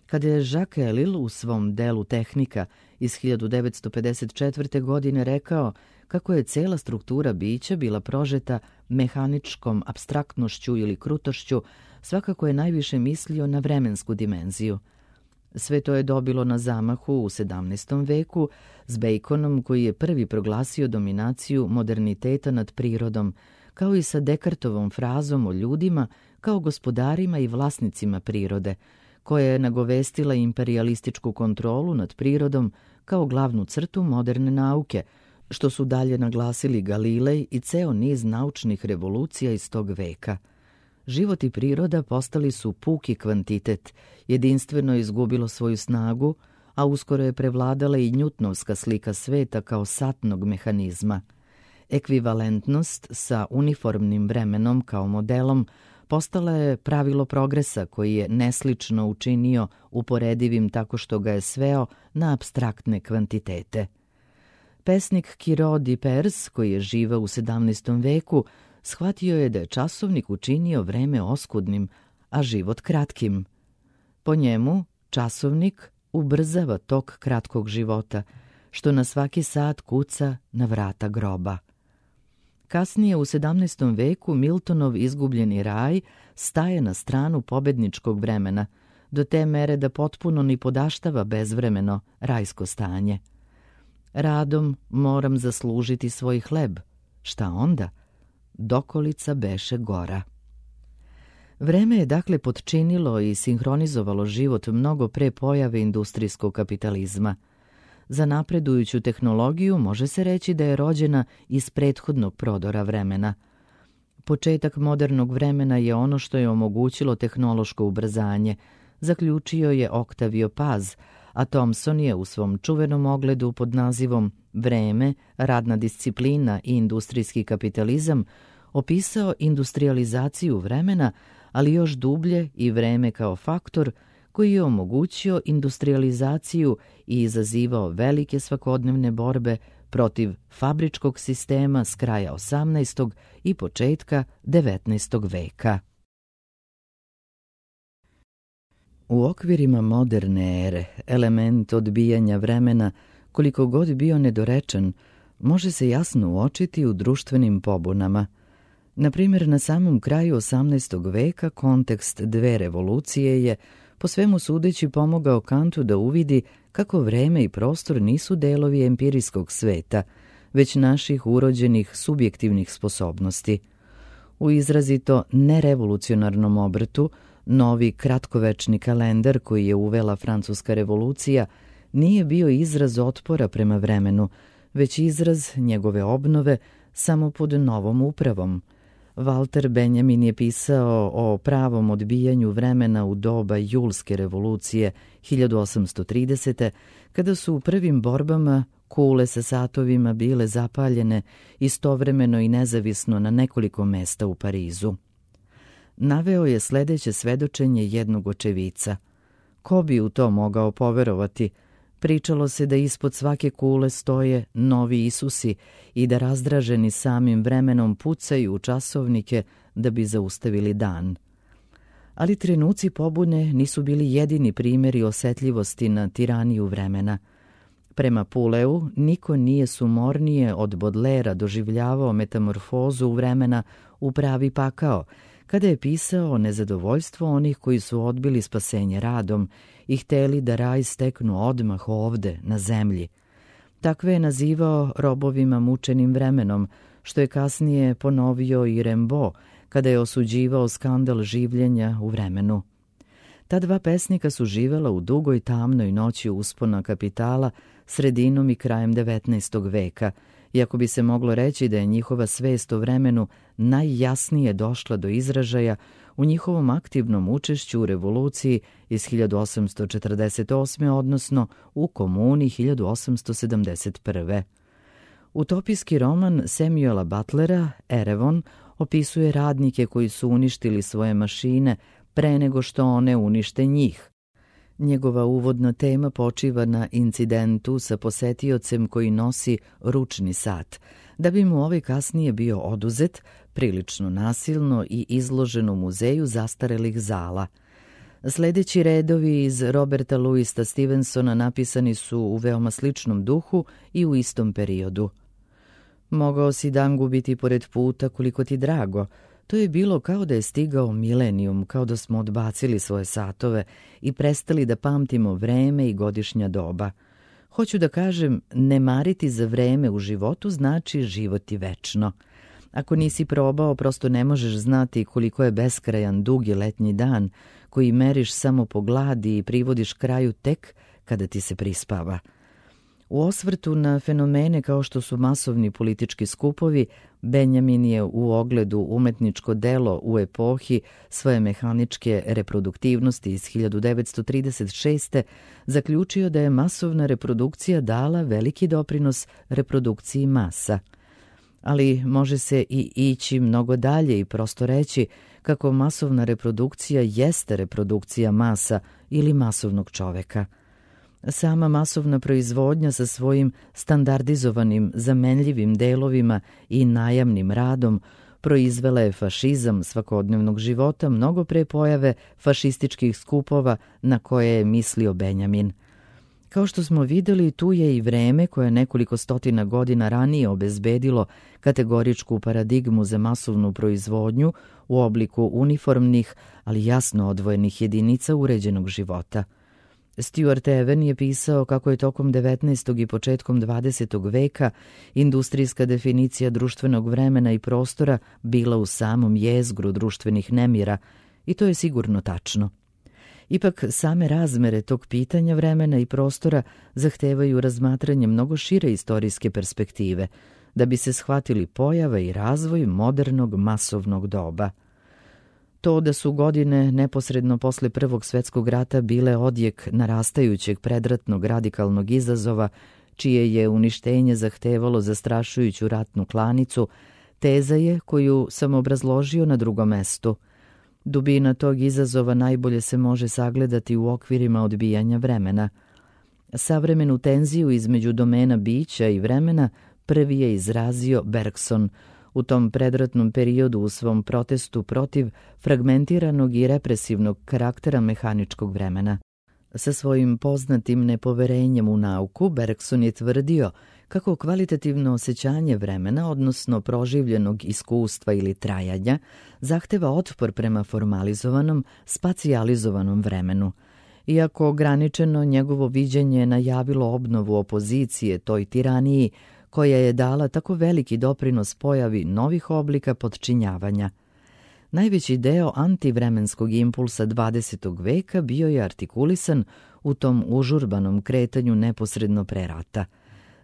S1: Kada je Jacques Ellul u svom delu Tehnika iz 1954. godine rekao kako je cela struktura bića bila prožeta mehaničkom apstraktnošću ili krutošću, svakako je najviše mislio na vremensku dimenziju. Sve to je dobilo na zamahu u 17. veku s Baconom, koji je prvi proglasio dominaciju moderniteta nad prirodom, kao i sa Descartovom frazom o ljudima kao gospodarima i vlasnicima prirode, koja je nagovestila imperialističku kontrolu nad prirodom kao glavnu crtu moderne nauke, što su dalje naglasili Galilej i ceo niz naučnih revolucija iz tog veka. Život i priroda postali su puki kvantitet, jedinstveno izgubilo svoju snagu, a uskoro je prevladala i Newtonovska slika sveta kao satnog mehanizma. Ekvivalentnost sa uniformnim vremenom kao modelom postala je pravilo progresa koji je neslično učinio uporedivim tako što ga je sveo na apstraktne kvantitete. Pesnik Quiraud de Pers, koji je živeo u 17. veku, shvatio je da je časovnik učinio vreme oskudnim, a život kratkim. Po njemu, časovnik ubrzava tok kratkog života, što na svaki sat kuca na vrata groba. Kasnije u 17. veku Miltonov izgubljeni raj staje na stranu pobedničkog vremena, do te mere da potpuno ni podaštava bezvremeno rajsko stanje. Radom moram zaslužiti svoj hleb. Šta onda? Dokolica beše gora. Vreme je dakle potčinilo i sinhronizovalo život mnogo pre pojave industrijskog kapitalizma. Za napredujuću tehnologiju može se reći da je rođena iz prethodnog prodora vremena. Početak modernog vremena je ono što je omogućilo tehnološko ubrzanje, zaključio je Octavio Paz, a Thomson je u svom čuvenom ogledu pod nazivom Vreme, radna disciplina i industrijski kapitalizam opisao industrializaciju vremena, ali još dublje i vreme kao faktor koji je omogućio industrializaciju i izazivao velike svakodnevne borbe protiv fabričkog sistema s kraja 18. i početka 19. veka. U okvirima moderne ere, element odbijanja vremena, koliko god bio nedorečen, može se jasno uočiti u društvenim pobunama. Na primjer, na samom kraju 18. veka kontekst dve revolucije je, po svemu sudeći, pomogao Kantu da uvidi kako vreme i prostor nisu delovi empirijskog sveta, već naših urođenih subjektivnih sposobnosti. U izrazito nerevolucionarnom obrtu, novi kratkovečni kalendar koji je uvela Francuska revolucija nije bio izraz otpora prema vremenu, već izraz njegove obnove samo pod novom upravom. Walter Benjamin je pisao o pravom odbijanju vremena u doba Julske revolucije 1830. kada su u prvim borbama kule sa satovima bile zapaljene istovremeno i nezavisno na nekoliko mesta u Parizu. Naveo je sledeće svedočenje jednog očevica. Ko bi u to mogao poverovati? Pričalo se da ispod svake kule stoje novi Isusi i da razdraženi samim vremenom pucaju u časovnike da bi zaustavili dan. Ali trenuci pobune nisu bili jedini primjeri osetljivosti na tiraniju vremena. Prema Puleu, niko nije sumornije od Bodlera doživljavao metamorfozu vremena u pravi pakao, kada je pisao o nezadovoljstvu onih koji su odbili spasenje radom i hteli da raj steknu odmah ovde, na zemlji. Takve je nazivao robovima mučenim vremenom, što je kasnije ponovio i Rimbaud, kada je osuđivao skandal življenja u vremenu. Ta dva pesnika su živela u dugoj tamnoj noći uspona kapitala sredinom i krajem 19. veka, iako bi se moglo reći da je njihova svest o vremenu najjasnije došla do izražaja u njihovom aktivnom učešću u revoluciji iz 1848. odnosno u Komuni 1871. Utopijski roman Samuela Butlera, Erewhon, opisuje radnike koji su uništili svoje mašine pre nego što one unište njih. Njegova uvodna tema počiva na incidentu sa posetiocem koji nosi ručni sat, da bi mu ovaj kasnije bio oduzet, prilično nasilno i izložen u muzeju zastarelih zala. Sljedeći redovi iz Roberta Louisa Stevensona napisani su u veoma sličnom duhu i u istom periodu. Mogao si dan gubiti pored puta koliko ti drago. To je bilo kao da je stigao milenijum, kao da smo odbacili svoje satove i prestali da pamtimo vreme i godišnja doba. Hoću da kažem, ne mariti za vreme u životu znači životi večno. Ako nisi probao, prosto ne možeš znati koliko je beskrajan dugi letnji dan koji meriš samo po gladi i privodiš kraju tek kada ti se prispava. U osvrtu na fenomene kao što su masovni politički skupovi, Benjamin je u ogledu umetničko delo u epohi svoje mehaničke reproduktivnosti iz 1936. zaključio da je masovna reprodukcija dala veliki doprinos reprodukciji masa. Ali može se i ići mnogo dalje i prosto reći kako masovna reprodukcija jeste reprodukcija masa ili masovnog čoveka. Sama masovna proizvodnja sa svojim standardizovanim, zamenljivim delovima i najamnim radom proizvela je fašizam svakodnevnog života mnogo pre pojave fašističkih skupova na koje je mislio Benjamin. Kao što smo vidjeli, tu je i vreme koje nekoliko stotina godina ranije obezbedilo kategoričku paradigmu za masovnu proizvodnju u obliku uniformnih, ali jasno odvojenih jedinica uređenog života. Stuart Even je pisao kako je tokom 19. i početkom 20. veka industrijska definicija društvenog vremena i prostora bila u samom jezgru društvenih nemira, i to je sigurno tačno. Ipak same razmere tog pitanja vremena i prostora zahtevaju razmatranje mnogo šire istorijske perspektive, da bi se shvatili pojava i razvoj modernog masovnog doba. To da su godine neposredno posle Prvog svjetskog rata bile odjek narastajućeg predratnog radikalnog izazova, čije je uništenje zahtevalo zastrašujuću ratnu klanicu, teza je koju sam obrazložio na drugom mestu. Dubina tog izazova najbolje se može sagledati u okvirima odbijanja vremena. Savremenu tenziju između domena bića i vremena prvi je izrazio Bergson u tom predratnom periodu u svom protestu protiv fragmentiranog i represivnog karaktera mehaničkog vremena. Sa svojim poznatim nepoverenjem u nauku, Bergson je tvrdio kako kvalitativno osjećanje vremena, odnosno proživljenog iskustva ili trajanja, zahteva otpor prema formalizovanom, spacijalizovanom vremenu. Iako ograničeno, njegovo viđenje je najavilo obnovu opozicije toj tiraniji, koja je dala tako veliki doprinos pojavi novih oblika podčinjavanja. Najveći deo antivremenskog impulsa 20. veka bio je artikulisan u tom užurbanom kretanju neposredno pre rata.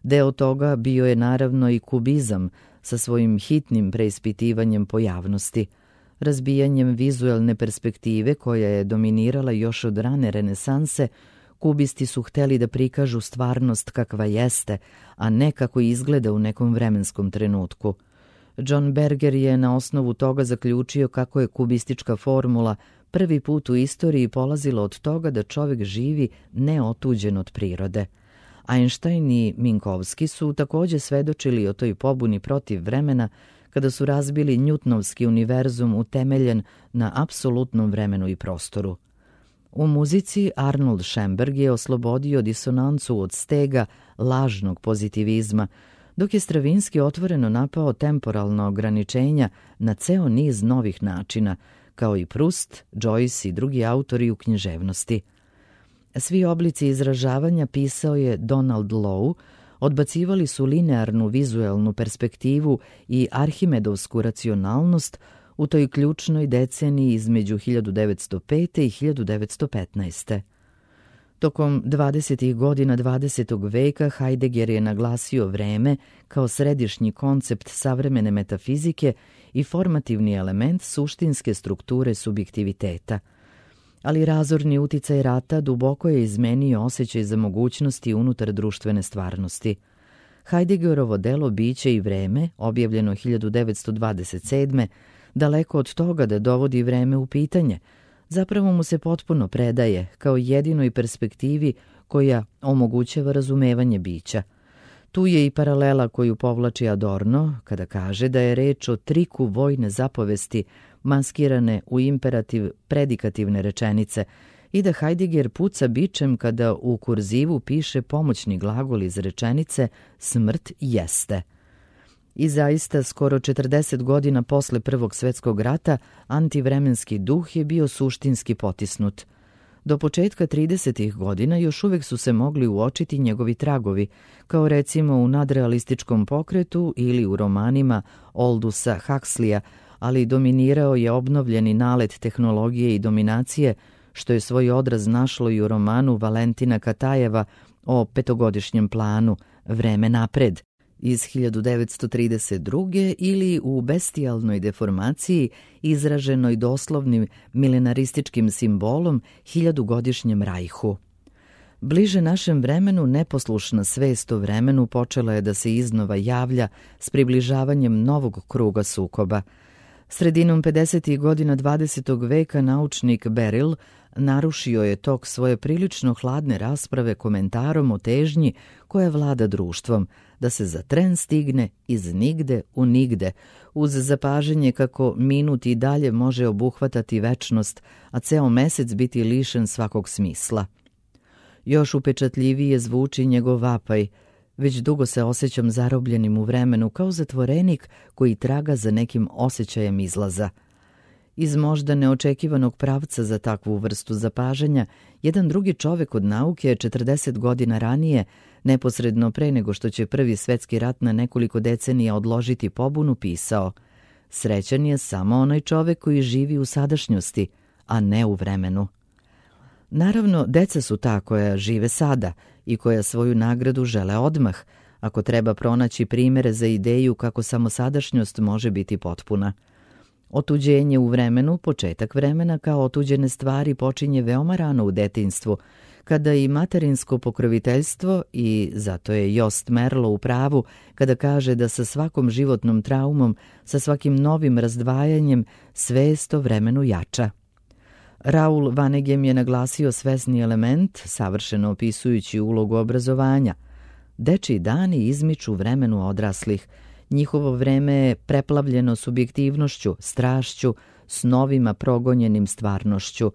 S1: Deo toga bio je naravno i kubizam sa svojim hitnim preispitivanjem pojavnosti, razbijanjem vizuelne perspektive koja je dominirala još od rane renesanse. Kubisti su hteli da prikažu stvarnost kakva jeste, a ne kako izgleda u nekom vremenskom trenutku. John Berger je na osnovu toga zaključio kako je kubistička formula prvi put u istoriji polazila od toga da čovjek živi neotuđen od prirode. Einstein i Minkowski su također svedočili o toj pobuni protiv vremena kada su razbili Newtonovski univerzum utemeljen na apsolutnom vremenu i prostoru. U muzici Arnold Schoenberg je oslobodio disonancu od stega lažnog pozitivizma, dok je Stravinski otvoreno napao temporalna ograničenja na ceo niz novih načina, kao i Proust, Joyce i drugi autori u književnosti. Svi oblici izražavanja, pisao je Donald Lowe, odbacivali su linearnu vizuelnu perspektivu i arhimedovsku racionalnost u toj ključnoj deceniji između 1905. i 1915. Tokom 20. godina 20. veka Heidegger je naglasio vreme kao središnji koncept savremene metafizike i formativni element suštinske strukture subjektiviteta. Ali razorni uticaj rata duboko je izmenio osjećaj za mogućnosti unutar društvene stvarnosti. Heideggerovo delo Biće i vreme, objavljeno 1927. daleko od toga da dovodi vreme u pitanje, zapravo mu se potpuno predaje kao jedinoj perspektivi koja omogućava razumevanje bića. Tu je i paralela koju povlači Adorno kada kaže da je reč o triku vojne zapovesti maskirane u imperativ predikativne rečenice i da Heidegger puca bičem kada u kurzivu piše pomoćni glagol iz rečenice smrt jeste. I zaista, skoro 40 godina posle Prvog svjetskog rata, antivremenski duh je bio suštinski potisnut. Do početka 30. godina još uvijek su se mogli uočiti njegovi tragovi, kao recimo u nadrealističkom pokretu ili u romanima Aldusa Huxleya, ali dominirao je obnovljeni nalet tehnologije i dominacije, što je svoj odraz našlo i u romanu Valentina Katajeva o petogodišnjem planu Vreme napred iz 1932. ili u bestijalnoj deformaciji izraženoj doslovnim milenarističkim simbolom hiljadugodišnjem rajhu. Bliže našem vremenu neposlušna svest o vremenu počela je da se iznova javlja s približavanjem novog kruga sukoba. Sredinom 50. godina 20. veka naučnik Beryl narušio je tok svoje prilično hladne rasprave komentarom o težnji koja vlada društvom, da se za tren stigne iz nigde u nigde, uz zapažanje kako minut i dalje može obuhvatati večnost, a ceo mesec biti lišen svakog smisla. Još upečatljivije zvuči njegov vapaj: već dugo se osjećam zarobljenim u vremenu, kao zatvorenik koji traga za nekim osjećajem izlaza. Iz možda neočekivanog pravca za takvu vrstu zapažanja, jedan drugi čovek od nauke 40 godina ranije, neposredno pre nego što će Prvi svjetski rat na nekoliko decenija odložiti pobunu, pisao: srećan je samo onaj čovek koji živi u sadašnjosti, a ne u vremenu. Naravno, deca su ta koja žive sada i koja svoju nagradu žele odmah, ako treba pronaći primere za ideju kako samo sadašnjost može biti potpuna. Otuđenje u vremenu, početak vremena kao otuđene stvari, počinje veoma rano u detinjstvu, kada i materinsko pokroviteljstvo, i zato je Jost Merlo u pravu kada kaže da sa svakom životnom traumom, sa svakim novim razdvajanjem, svest o vremenu jača. Raul Vanegem je naglasio svesni element, savršeno opisujući ulogu obrazovanja. Dečiji dani izmiču vremenu odraslih. Njihovo vreme je preplavljeno subjektivnošću, strašću, snovima progonjenim stvarnošću.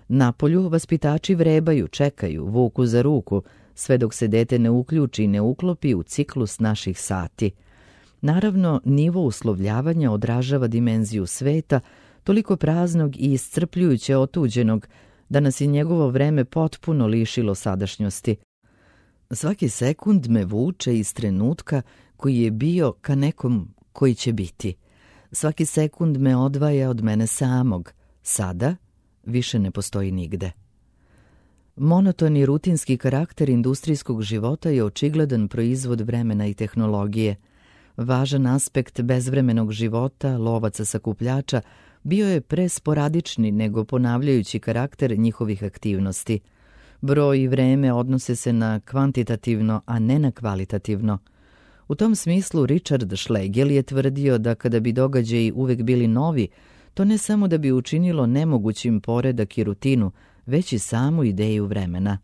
S1: Napolju vaspitači vrebaju, čekaju, vuku za ruku, sve dok se dete ne uključi i ne uklopi u ciklus naših sati. Naravno, nivo uslovljavanja odražava dimenziju sveta, toliko praznog i iscrpljujuće otuđenog, da nas je njegovo vreme potpuno lišilo sadašnjosti. Svaki sekund me vuče iz trenutka koji je bio ka nekom koji će biti. Svaki sekund me odvaja od mene samog. Sada više ne postoji nigde. Monotoni rutinski karakter industrijskog života je očigledan proizvod vremena i tehnologije. Važan aspekt bezvremenog života lovaca sakupljača bio je presporadični nego ponavljajući karakter njihovih aktivnosti. Broj i vreme odnose se na kvantitativno, a ne na kvalitativno. U tom smislu Richard Schlegel je tvrdio da kada bi događaji uvek bili novi, to ne samo da bi učinilo nemogućim poredak i rutinu, već i samu ideju vremena.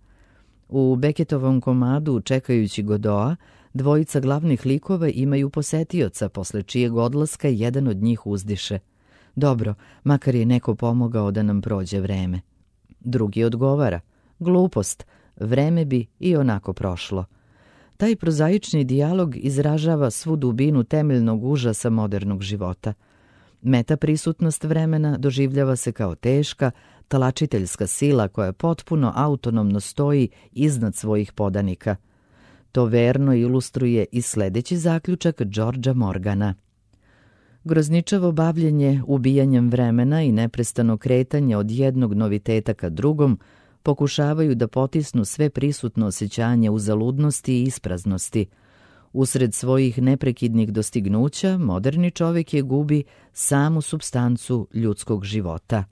S1: U Beckettovom komadu Čekajući Godoa, dvojica glavnih likova imaju posetioca, posle čijeg odlaska jedan od njih uzdiše: dobro, makar je neko pomogao da nam prođe vreme. Drugi odgovara: glupost, vreme bi i onako prošlo. Taj prozaični dijalog izražava svu dubinu temeljnog užasa modernog života. Metaprisutnost vremena doživljava se kao teška, talačiteljska sila koja potpuno autonomno stoji iznad svojih podanika. To verno ilustruje i sledeći zaključak Georgea Morgana. Grozničavo bavljenje ubijanjem vremena i neprestano kretanje od jednog noviteta ka drugom pokušavaju da potisnu sve prisutno osjećanje uzaludnosti i ispraznosti. Usred svojih neprekidnih dostignuća, moderni čovjek je gubi samu supstancu ljudskog života.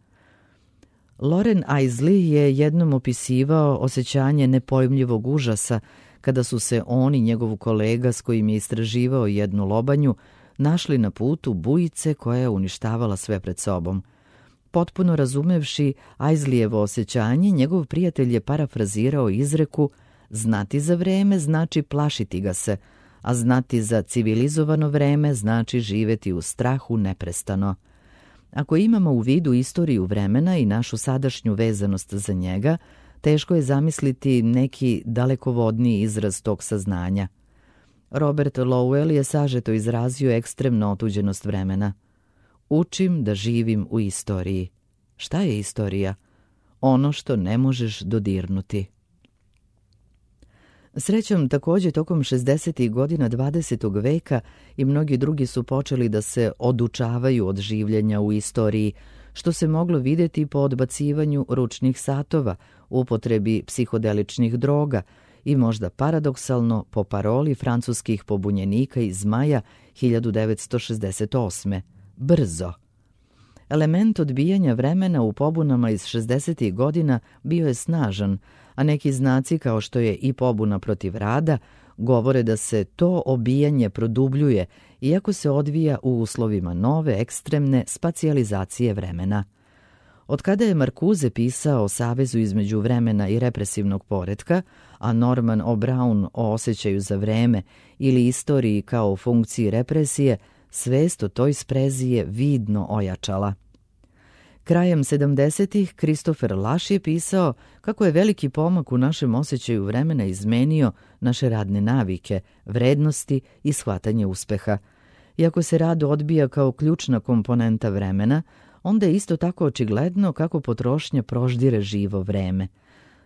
S1: Loren Eiseley je jednom opisivao osjećanje nepojmljivog užasa kada su se on i njegov kolega s kojim je istraživao jednu lobanju našli na putu bujice koja je uništavala sve pred sobom. Potpuno razumevši Aisleyjevo osjećanje, njegov prijatelj je parafrazirao izreku: znati za vreme znači plašiti ga se, a znati za civilizovano vreme znači živeti u strahu neprestano. Ako imamo u vidu istoriju vremena i našu sadašnju vezanost za njega, teško je zamisliti neki dalekovodniji izraz tog saznanja. Robert Lowell je sažeto izrazio ekstremnu otuđenost vremena. Učim da živim u istoriji. Šta je istorija? Ono što ne možeš dodirnuti. Srećom, također tokom 60. godina 20. veka i mnogi drugi su počeli da se odučavaju od življenja u istoriji, što se moglo vidjeti po odbacivanju ručnih satova, upotrebi psihodeličnih droga i možda paradoksalno po paroli francuskih pobunjenika iz maja 1968. Brzo. Element odbijanja vremena u pobunama iz 60. godina bio je snažan, a neki znaci kao što je i pobuna protiv rada govore da se to obijanje produbljuje, iako se odvija u uslovima nove ekstremne spacijalizacije vremena. Od kada je Marcuse pisao o savezu između vremena i represivnog poretka, a Norman O'Brown o osjećaju za vreme ili istoriji kao funkciji represije, svest o toj sprezi je vidno ojačala. Krajem 70-ih Christopher Lasch je pisao kako je veliki pomak u našem osjećaju vremena izmenio naše radne navike, vrednosti i shvatanje uspeha. Iako se rad odbija kao ključna komponenta vremena, onda je isto tako očigledno kako potrošnja proždire živo vreme.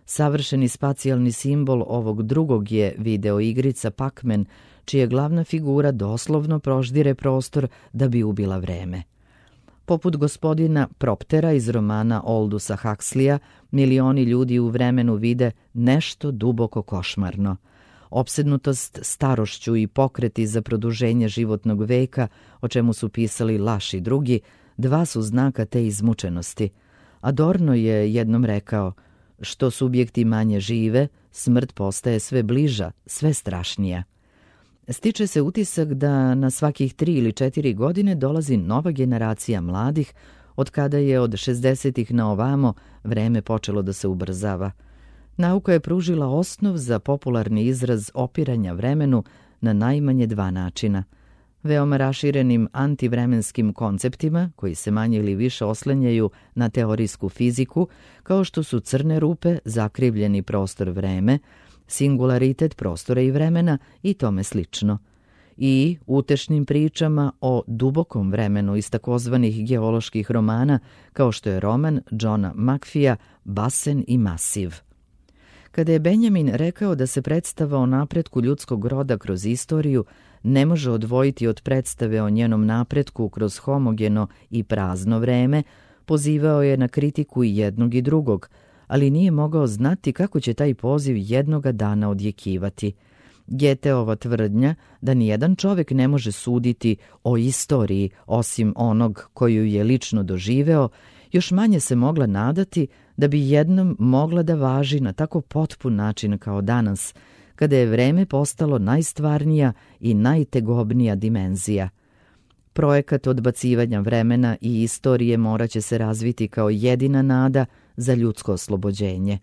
S1: Savršeni spacijalni simbol ovog drugog je videoigrica Pac-Man, čija glavna figura doslovno proždire prostor da bi ubila vreme. Poput gospodina Proptera iz romana Aldusa Huxleya, milioni ljudi u vremenu vide nešto duboko košmarno. Opsednutost starošću i pokreti za produženje životnog veka, o čemu su pisali Lasch i drugi, dva su znaka te izmučenosti. Adorno je jednom rekao: što subjekti manje žive, smrt postaje sve bliža, sve strašnija. Stiče se utisak da na svakih 3 ili 4 godine dolazi nova generacija mladih, od kada je od 60-ih na ovamo vreme počelo da se ubrzava. Nauka je pružila osnov za popularni izraz opiranja vremenu na najmanje 2 načina. Veoma raširenim antivremenskim konceptima, koji se manje ili više oslanjaju na teorijsku fiziku, kao što su crne rupe, zakrivljeni prostor vreme, singularitet prostora i vremena i tome slično. I utešnim pričama o dubokom vremenu iz takozvanih geoloških romana, kao što je roman Johna McPhee'a Basen i Masiv. Kada je Benjamin rekao da se predstava o napretku ljudskog roda kroz istoriju ne može odvojiti od predstave o njenom napretku kroz homogeno i prazno vreme, pozivao je na kritiku i jednog i drugog, ali nije mogao znati kako će taj poziv jednoga dana odjekivati. Goetheova tvrdnja da nijedan čovjek ne može suditi o istoriji osim onog koju je lično doživeo, još manje se mogla nadati da bi jednom mogla da važi na tako potpun način kao danas, kada je vreme postalo najstvarnija i najtegobnija dimenzija. Projekat odbacivanja vremena i istorije moraće se razviti kao jedina nada za ljudsko oslobođenje.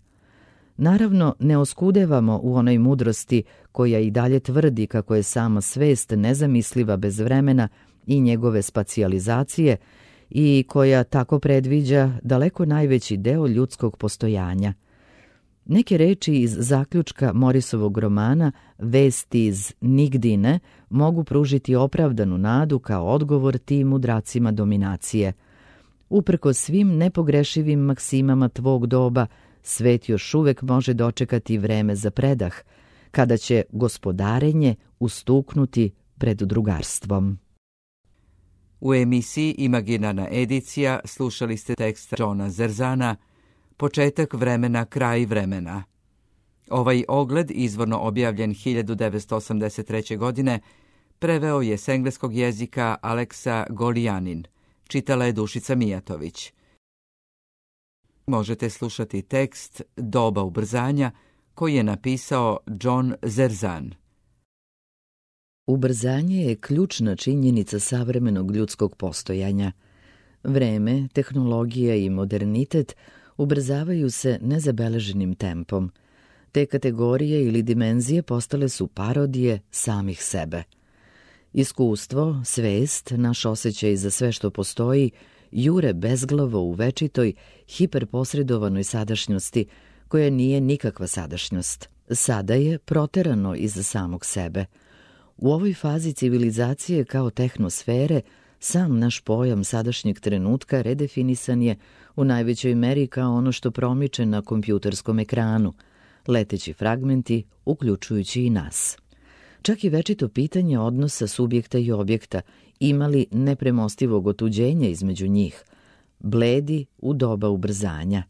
S1: Naravno, ne oskudevamo u onoj mudrosti koja i dalje tvrdi kako je sama svest nezamisliva bez vremena i njegove spacijalizacije i koja tako predviđa daleko najveći deo ljudskog postojanja. Neke reči iz zaključka Morrisovog romana Vesti iz nigdine mogu pružiti opravdanu nadu kao odgovor tim mudracima dominacije. Uprkos svim nepogrešivim maksimama tvog doba, svet još uvek može dočekati vreme za predah, kada će gospodarenje ustuknuti pred drugarstvom.
S2: U emisiji Imaginarna edicija slušali ste tekst Johna Zerzana Početak vremena, kraj vremena. Ovaj ogled, izvorno objavljen 1983. godine, preveo je s engleskog jezika Aleksa Golijanin. Čitala je Dušica Mijatović. Možete slušati tekst Doba ubrzanja koji je napisao John Zerzan.
S1: Ubrzanje je ključna činjenica savremenog ljudskog postojanja. Vreme, tehnologija i modernitet ubrzavaju se nezabeleženim tempom. Te kategorije ili dimenzije postale su parodije samih sebe. Iskustvo, svest, naš osjećaj za sve što postoji, jure bezglavo u večitoj, hiperposredovanoj sadašnjosti, koja nije nikakva sadašnjost. Sada je proterano iz samog sebe. U ovoj fazi civilizacije kao tehnosfere, sam naš pojam sadašnjeg trenutka redefinisan je u najvećoj meri kao ono što promiče na kompjuterskom ekranu, leteći fragmenti, uključujući i nas. Čak i večito pitanje odnosa subjekta i objekta ima li nepremostivog otuđenja između njih, bledi u doba ubrzanja.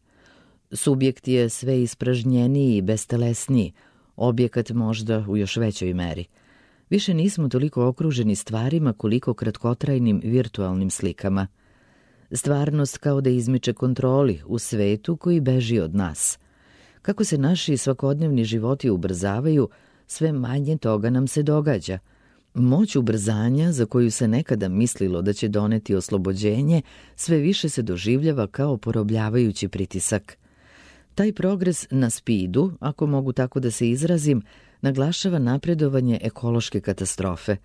S1: Subjekt je sve ispražnjeniji i bestelesniji, objekat možda u još većoj meri. Više nismo toliko okruženi stvarima koliko kratkotrajnim virtualnim slikama. Stvarnost kao da izmiče kontroli u svetu koji beži od nas. Kako se naši svakodnevni životi ubrzavaju, sve manje toga nam se događa. Moć ubrzanja, za koju se nekada mislilo da će doneti oslobođenje, sve više se doživljava kao porobljavajući pritisak. Taj progres na spidu, ako mogu tako da se izrazim, naglašava napredovanje ekološke katastrofe.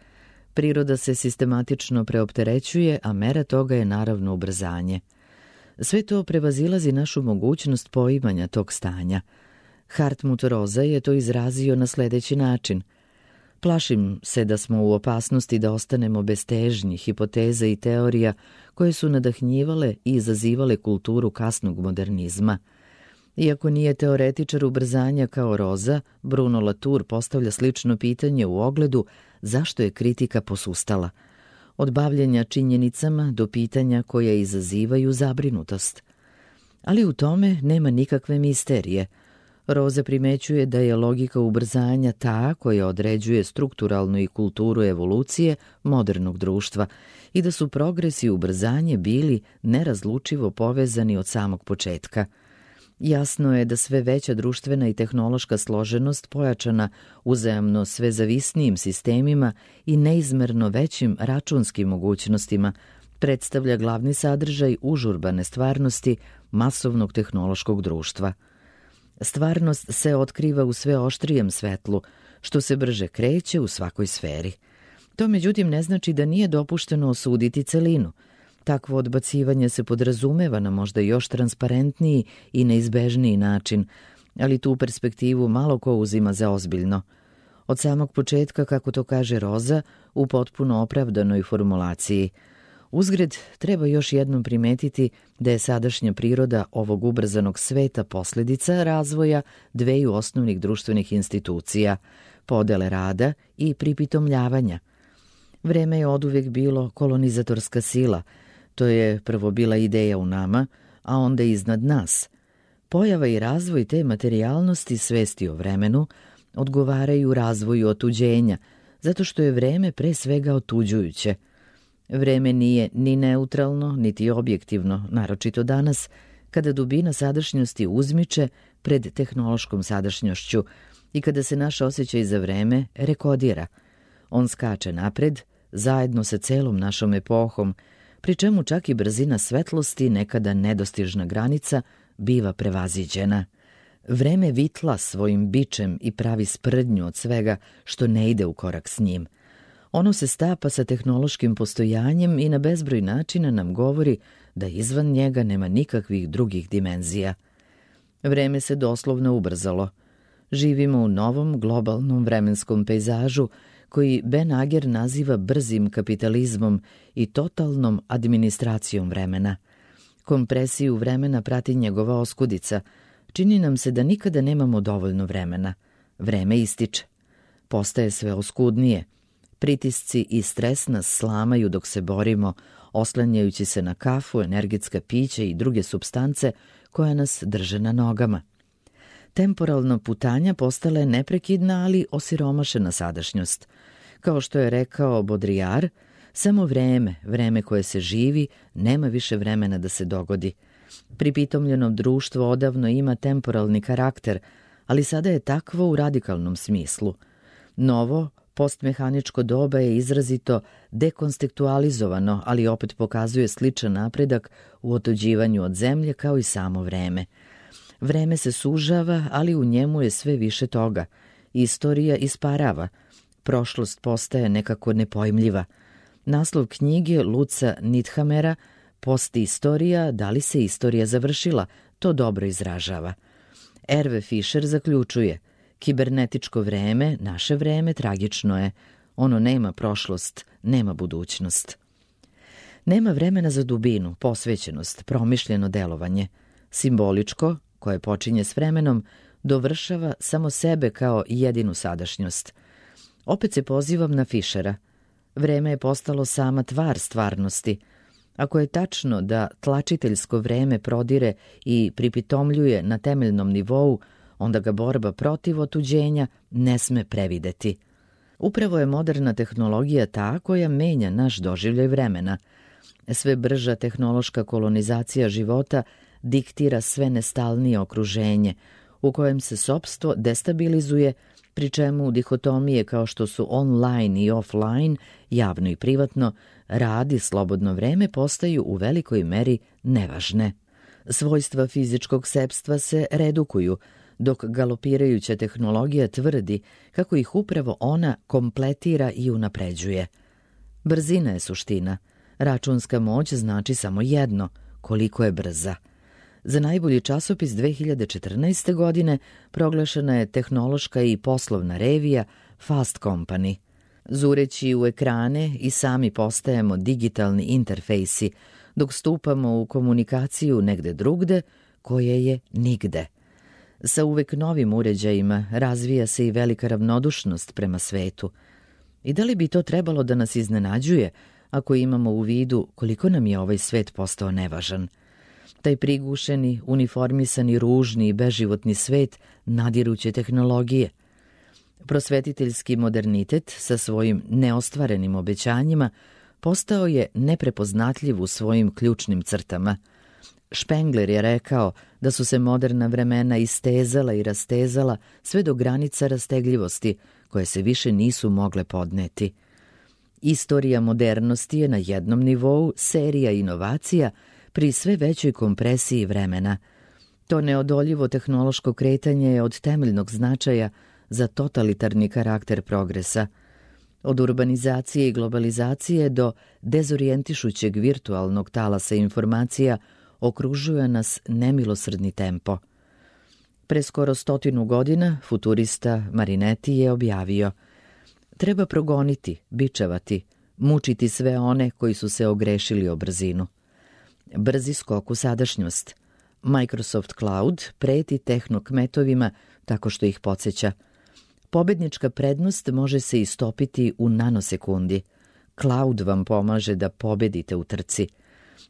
S1: Priroda se sistematično preopterećuje, a mera toga je naravno ubrzanje. Sve to prevazilazi našu mogućnost poimanja tog stanja. Hartmut Rosa je to izrazio na sledeći način. Plašim se da smo u opasnosti da ostanemo bez težnji, hipoteza i teorija koje su nadahnjivale i izazivale kulturu kasnog modernizma. Iako nije teoretičar ubrzanja kao Rosa, Bruno Latour postavlja slično pitanje u ogledu zašto je kritika posustala. Od bavljenja činjenicama do pitanja koja izazivaju zabrinutost. Ali u tome nema nikakve misterije. Rosa primećuje da je logika ubrzanja ta koja određuje strukturalnu i kulturu evolucije modernog društva i da su progres i ubrzanje bili nerazlučivo povezani od samog početka. Jasno je da sve veća društvena i tehnološka složenost pojačana uzajamno sve zavisnijim sistemima i neizmerno većim računskim mogućnostima predstavlja glavni sadržaj užurbane stvarnosti masovnog tehnološkog društva. Stvarnost se otkriva u sve oštrijem svetlu, što se brže kreće u svakoj sferi. To međutim ne znači da nije dopušteno osuditi celinu. Takvo odbacivanje se podrazumeva na možda još transparentniji i neizbežniji način, ali tu perspektivu malo ko uzima za ozbiljno. Od samog početka, kako to kaže Rosa, u potpuno opravdanoj formulaciji. Uzgred, treba još jednom primetiti da je sadašnja priroda ovog ubrzanog sveta posljedica razvoja dveju osnovnih društvenih institucija, podele rada i pripitomljavanja. Vreme je oduvek bilo kolonizatorska sila. To je prvo bila ideja u nama, a onda iznad nas. Pojava i razvoj te materijalnosti svesti o vremenu odgovaraju razvoju otuđenja, zato što je vreme pre svega otuđujuće. Vreme nije ni neutralno, niti objektivno, naročito danas, kada dubina sadašnjosti uzmiče pred tehnološkom sadašnjošću i kada se naš osjećaj za vreme rekodira. On skače napred, zajedno sa celom našom epohom, pri čemu čak i brzina svetlosti, nekada nedostižna granica, biva prevaziđena. Vreme vitla svojim bičem i pravi sprdnju od svega što ne ide u korak s njim. Ono se stapa sa tehnološkim postojanjem i na bezbroj načina nam govori da izvan njega nema nikakvih drugih dimenzija. Vreme se doslovno ubrzalo. Živimo u novom globalnom vremenskom pejzažu koji Ben Ager naziva brzim kapitalizmom i totalnom administracijom vremena. Kompresiju vremena prati njegova oskudica. Čini nam se da nikada nemamo dovoljno vremena. Vreme ističe. Postaje sve oskudnije. Pritisci i stres nas slamaju dok se borimo, oslanjajući se na kafu, energetska pića i druge supstance koja nas drže na nogama. Temporalna putanja postala je neprekidna, ali osiromašena sadašnjost. Kao što je rekao Baudrillard, samo vreme koje se živi, nema više vremena da se dogodi. Pripitomljeno društvo odavno ima temporalni karakter, ali sada je takvo u radikalnom smislu. Novo, Postmehaničko doba je izrazito dekontekstualizovano, ali opet pokazuje sličan napredak u otuđivanju od zemlje kao i samo vreme. Vreme se sužava, ali u njemu je sve više toga. Istorija isparava. Prošlost postaje nekako nepojmljiva. Naslov knjige Luca Nithamera Posthistorija, da li se istorija završila, to dobro izražava. Hervé Fischer zaključuje: kibernetičko vreme, naše vreme, tragično je. Ono nema prošlost, nema budućnost. Nema vremena za dubinu, posvećenost, promišljeno delovanje. Simboličko, koje počinje s vremenom, dovršava samo sebe kao jedinu sadašnjost. Opet se pozivam na Fischera. Vreme je postalo sama tvar stvarnosti. Ako je tačno da tlačiteljsko vreme prodire i pripitomljuje na temeljnom nivou, onda ga borba protiv otuđenja ne sme prevideti. Upravo je moderna tehnologija ta koja menja naš doživljaj vremena. Sve brža tehnološka kolonizacija života diktira sve nestalnije okruženje, u kojem se sopstvo destabilizuje, pri čemu dihotomije kao što su online i offline, javno i privatno, rad i slobodno vreme postaju u velikoj meri nevažne. Svojstva fizičkog sepstva se redukuju, dok galopirajuća tehnologija tvrdi kako ih upravo ona kompletira i unapređuje. Brzina je suština. Računska moć znači samo jedno, koliko je brza. Za najbolji časopis 2014. godine proglašena je tehnološka i poslovna revija Fast Company. Zureći u ekrane i sami postajemo digitalni interfejsi, dok stupamo u komunikaciju negde drugde, koje je nigde. Sa uvek novim uređajima razvija se i velika ravnodušnost prema svetu. I da li bi to trebalo da nas iznenađuje ako imamo u vidu koliko nam je ovaj svet postao nevažan? Taj prigušeni, uniformisani, ružni i beživotni svet nadiruće tehnologije. Prosvetiteljski modernitet sa svojim neostvarenim obećanjima postao je neprepoznatljiv u svojim ključnim crtama. Spengler je rekao da su se moderna vremena istezala i rastezala sve do granica rastegljivosti, koje se više nisu mogle podneti. Istorija modernosti je na jednom nivou serija inovacija pri sve većoj kompresiji vremena. To neodoljivo tehnološko kretanje je od temeljnog značaja za totalitarni karakter progresa. Od urbanizacije i globalizacije do dezorijentišućeg virtualnog talasa informacija okružuje nas nemilosrdni tempo. Pre skoro 100 godina futurista Marinetti je objavio: treba progoniti, bičevati, mučiti sve one koji su se ogrešili o brzinu. Brzi skok u sadašnjost. Microsoft Cloud preti tehnokmetovima tako što ih podsjeća. Pobednička prednost može se istopiti u nanosekundi. Cloud vam pomaže da pobedite u trci.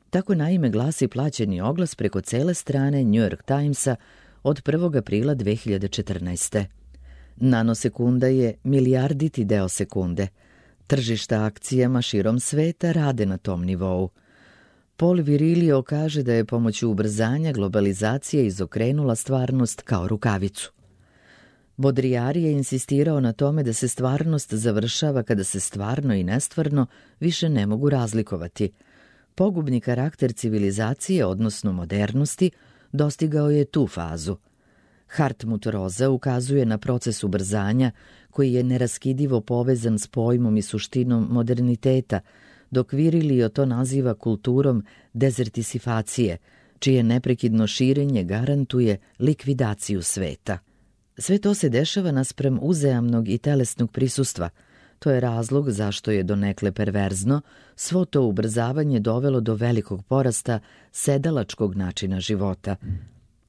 S1: Tako naime glasi plaćeni oglas preko cele strane New York Timesa od 1. aprila 2014. Nanosekunda je milijarditi deo sekunde. Tržišta akcijama širom sveta rade na tom nivou. Paul Virilio kaže da je pomoću ubrzanja globalizacija izokrenula stvarnost kao rukavicu. Baudrillard je insistirao na tome da se stvarnost završava kada se stvarno i nestvarno više ne mogu razlikovati. Pogubni karakter civilizacije, odnosno modernosti, dostigao je tu fazu. Hartmut Rosa ukazuje na proces ubrzanja koji je neraskidivo povezan s pojmom i suštinom moderniteta, dok Virilio to naziva kulturom dezertisifacije, čije neprekidno širenje garantuje likvidaciju sveta. Sve to se dešava naspram uzajamnog i telesnog prisustva. To je razlog zašto je donekle perverzno svo to ubrzavanje dovelo do velikog porasta sedalačkog načina života.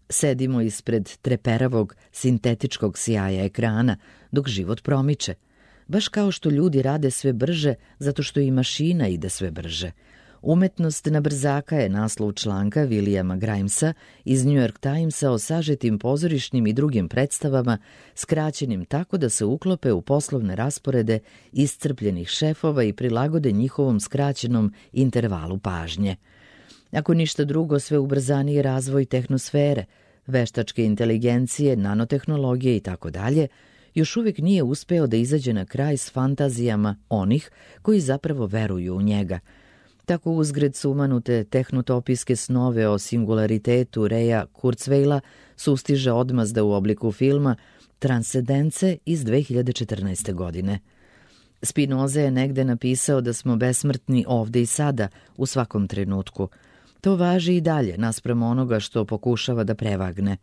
S1: Sedimo ispred treperavog sintetičkog sjaja ekrana dok život promiče. Baš kao što ljudi rade sve brže zato što i mašina ide sve brže. Umetnost na brzaka je naslov članka Williama Grimesa iz New York Timesa o sažetim pozorišnim i drugim predstavama, skraćenim tako da se uklope u poslovne rasporede iscrpljenih šefova i prilagode njihovom skraćenom intervalu pažnje. Ako ništa drugo, sve ubrzaniji razvoj tehnosfere, veštačke inteligencije, nanotehnologije itd., još uvijek nije uspeo da izađe na kraj s fantazijama onih koji zapravo veruju u njega. Tako uzgred sumanute tehnotopijske snove o singularitetu Reja Kurzweila sustiže odmazda u obliku filma Transcendence iz 2014. godine. Spinoza je negde napisao da smo besmrtni ovde i sada, u svakom trenutku. To važi i dalje, naspram onoga što pokušava da prevagne.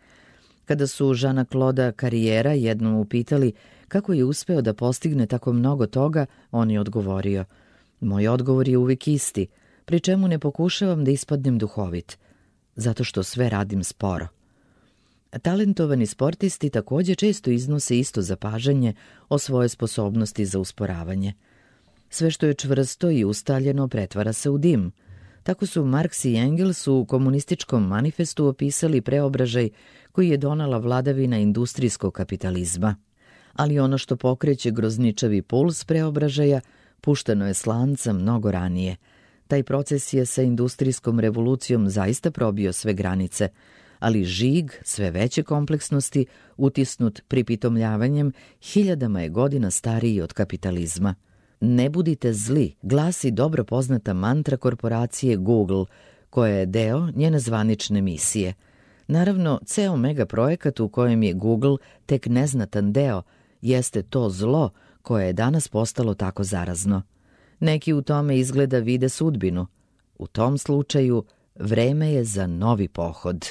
S1: Kada su Žana Kloda Karijera jednom upitali kako je uspeo da postigne tako mnogo toga, on je odgovorio: moj odgovor je uvijek isti, pri čemu ne pokušavam da ispadnem duhovit, zato što sve radim sporo. Talentovani sportisti također često iznose isto zapažanje o svojoj sposobnosti za usporavanje. Sve što je čvrsto i ustaljeno pretvara se u dim. Tako su Marks i Engels u komunističkom manifestu opisali preobražaj koji je donela vladavina industrijskog kapitalizma. Ali ono što pokreće grozničavi puls preobražaja pušteno je s lanca mnogo ranije. Taj proces je sa industrijskom revolucijom zaista probio sve granice, ali žig sve veće kompleksnosti, utisnut pripitomljavanjem, hiljadama je godina stariji od kapitalizma. Ne budite zli, glasi dobro poznata mantra korporacije Google, koja je deo njene zvanične misije. Naravno, ceo megaprojekat u kojem je Google tek neznatan deo, jeste to zlo koje je danas postalo tako zarazno. Neki u tome izgleda vide sudbinu. U tom slučaju, vreme je za novi pohod.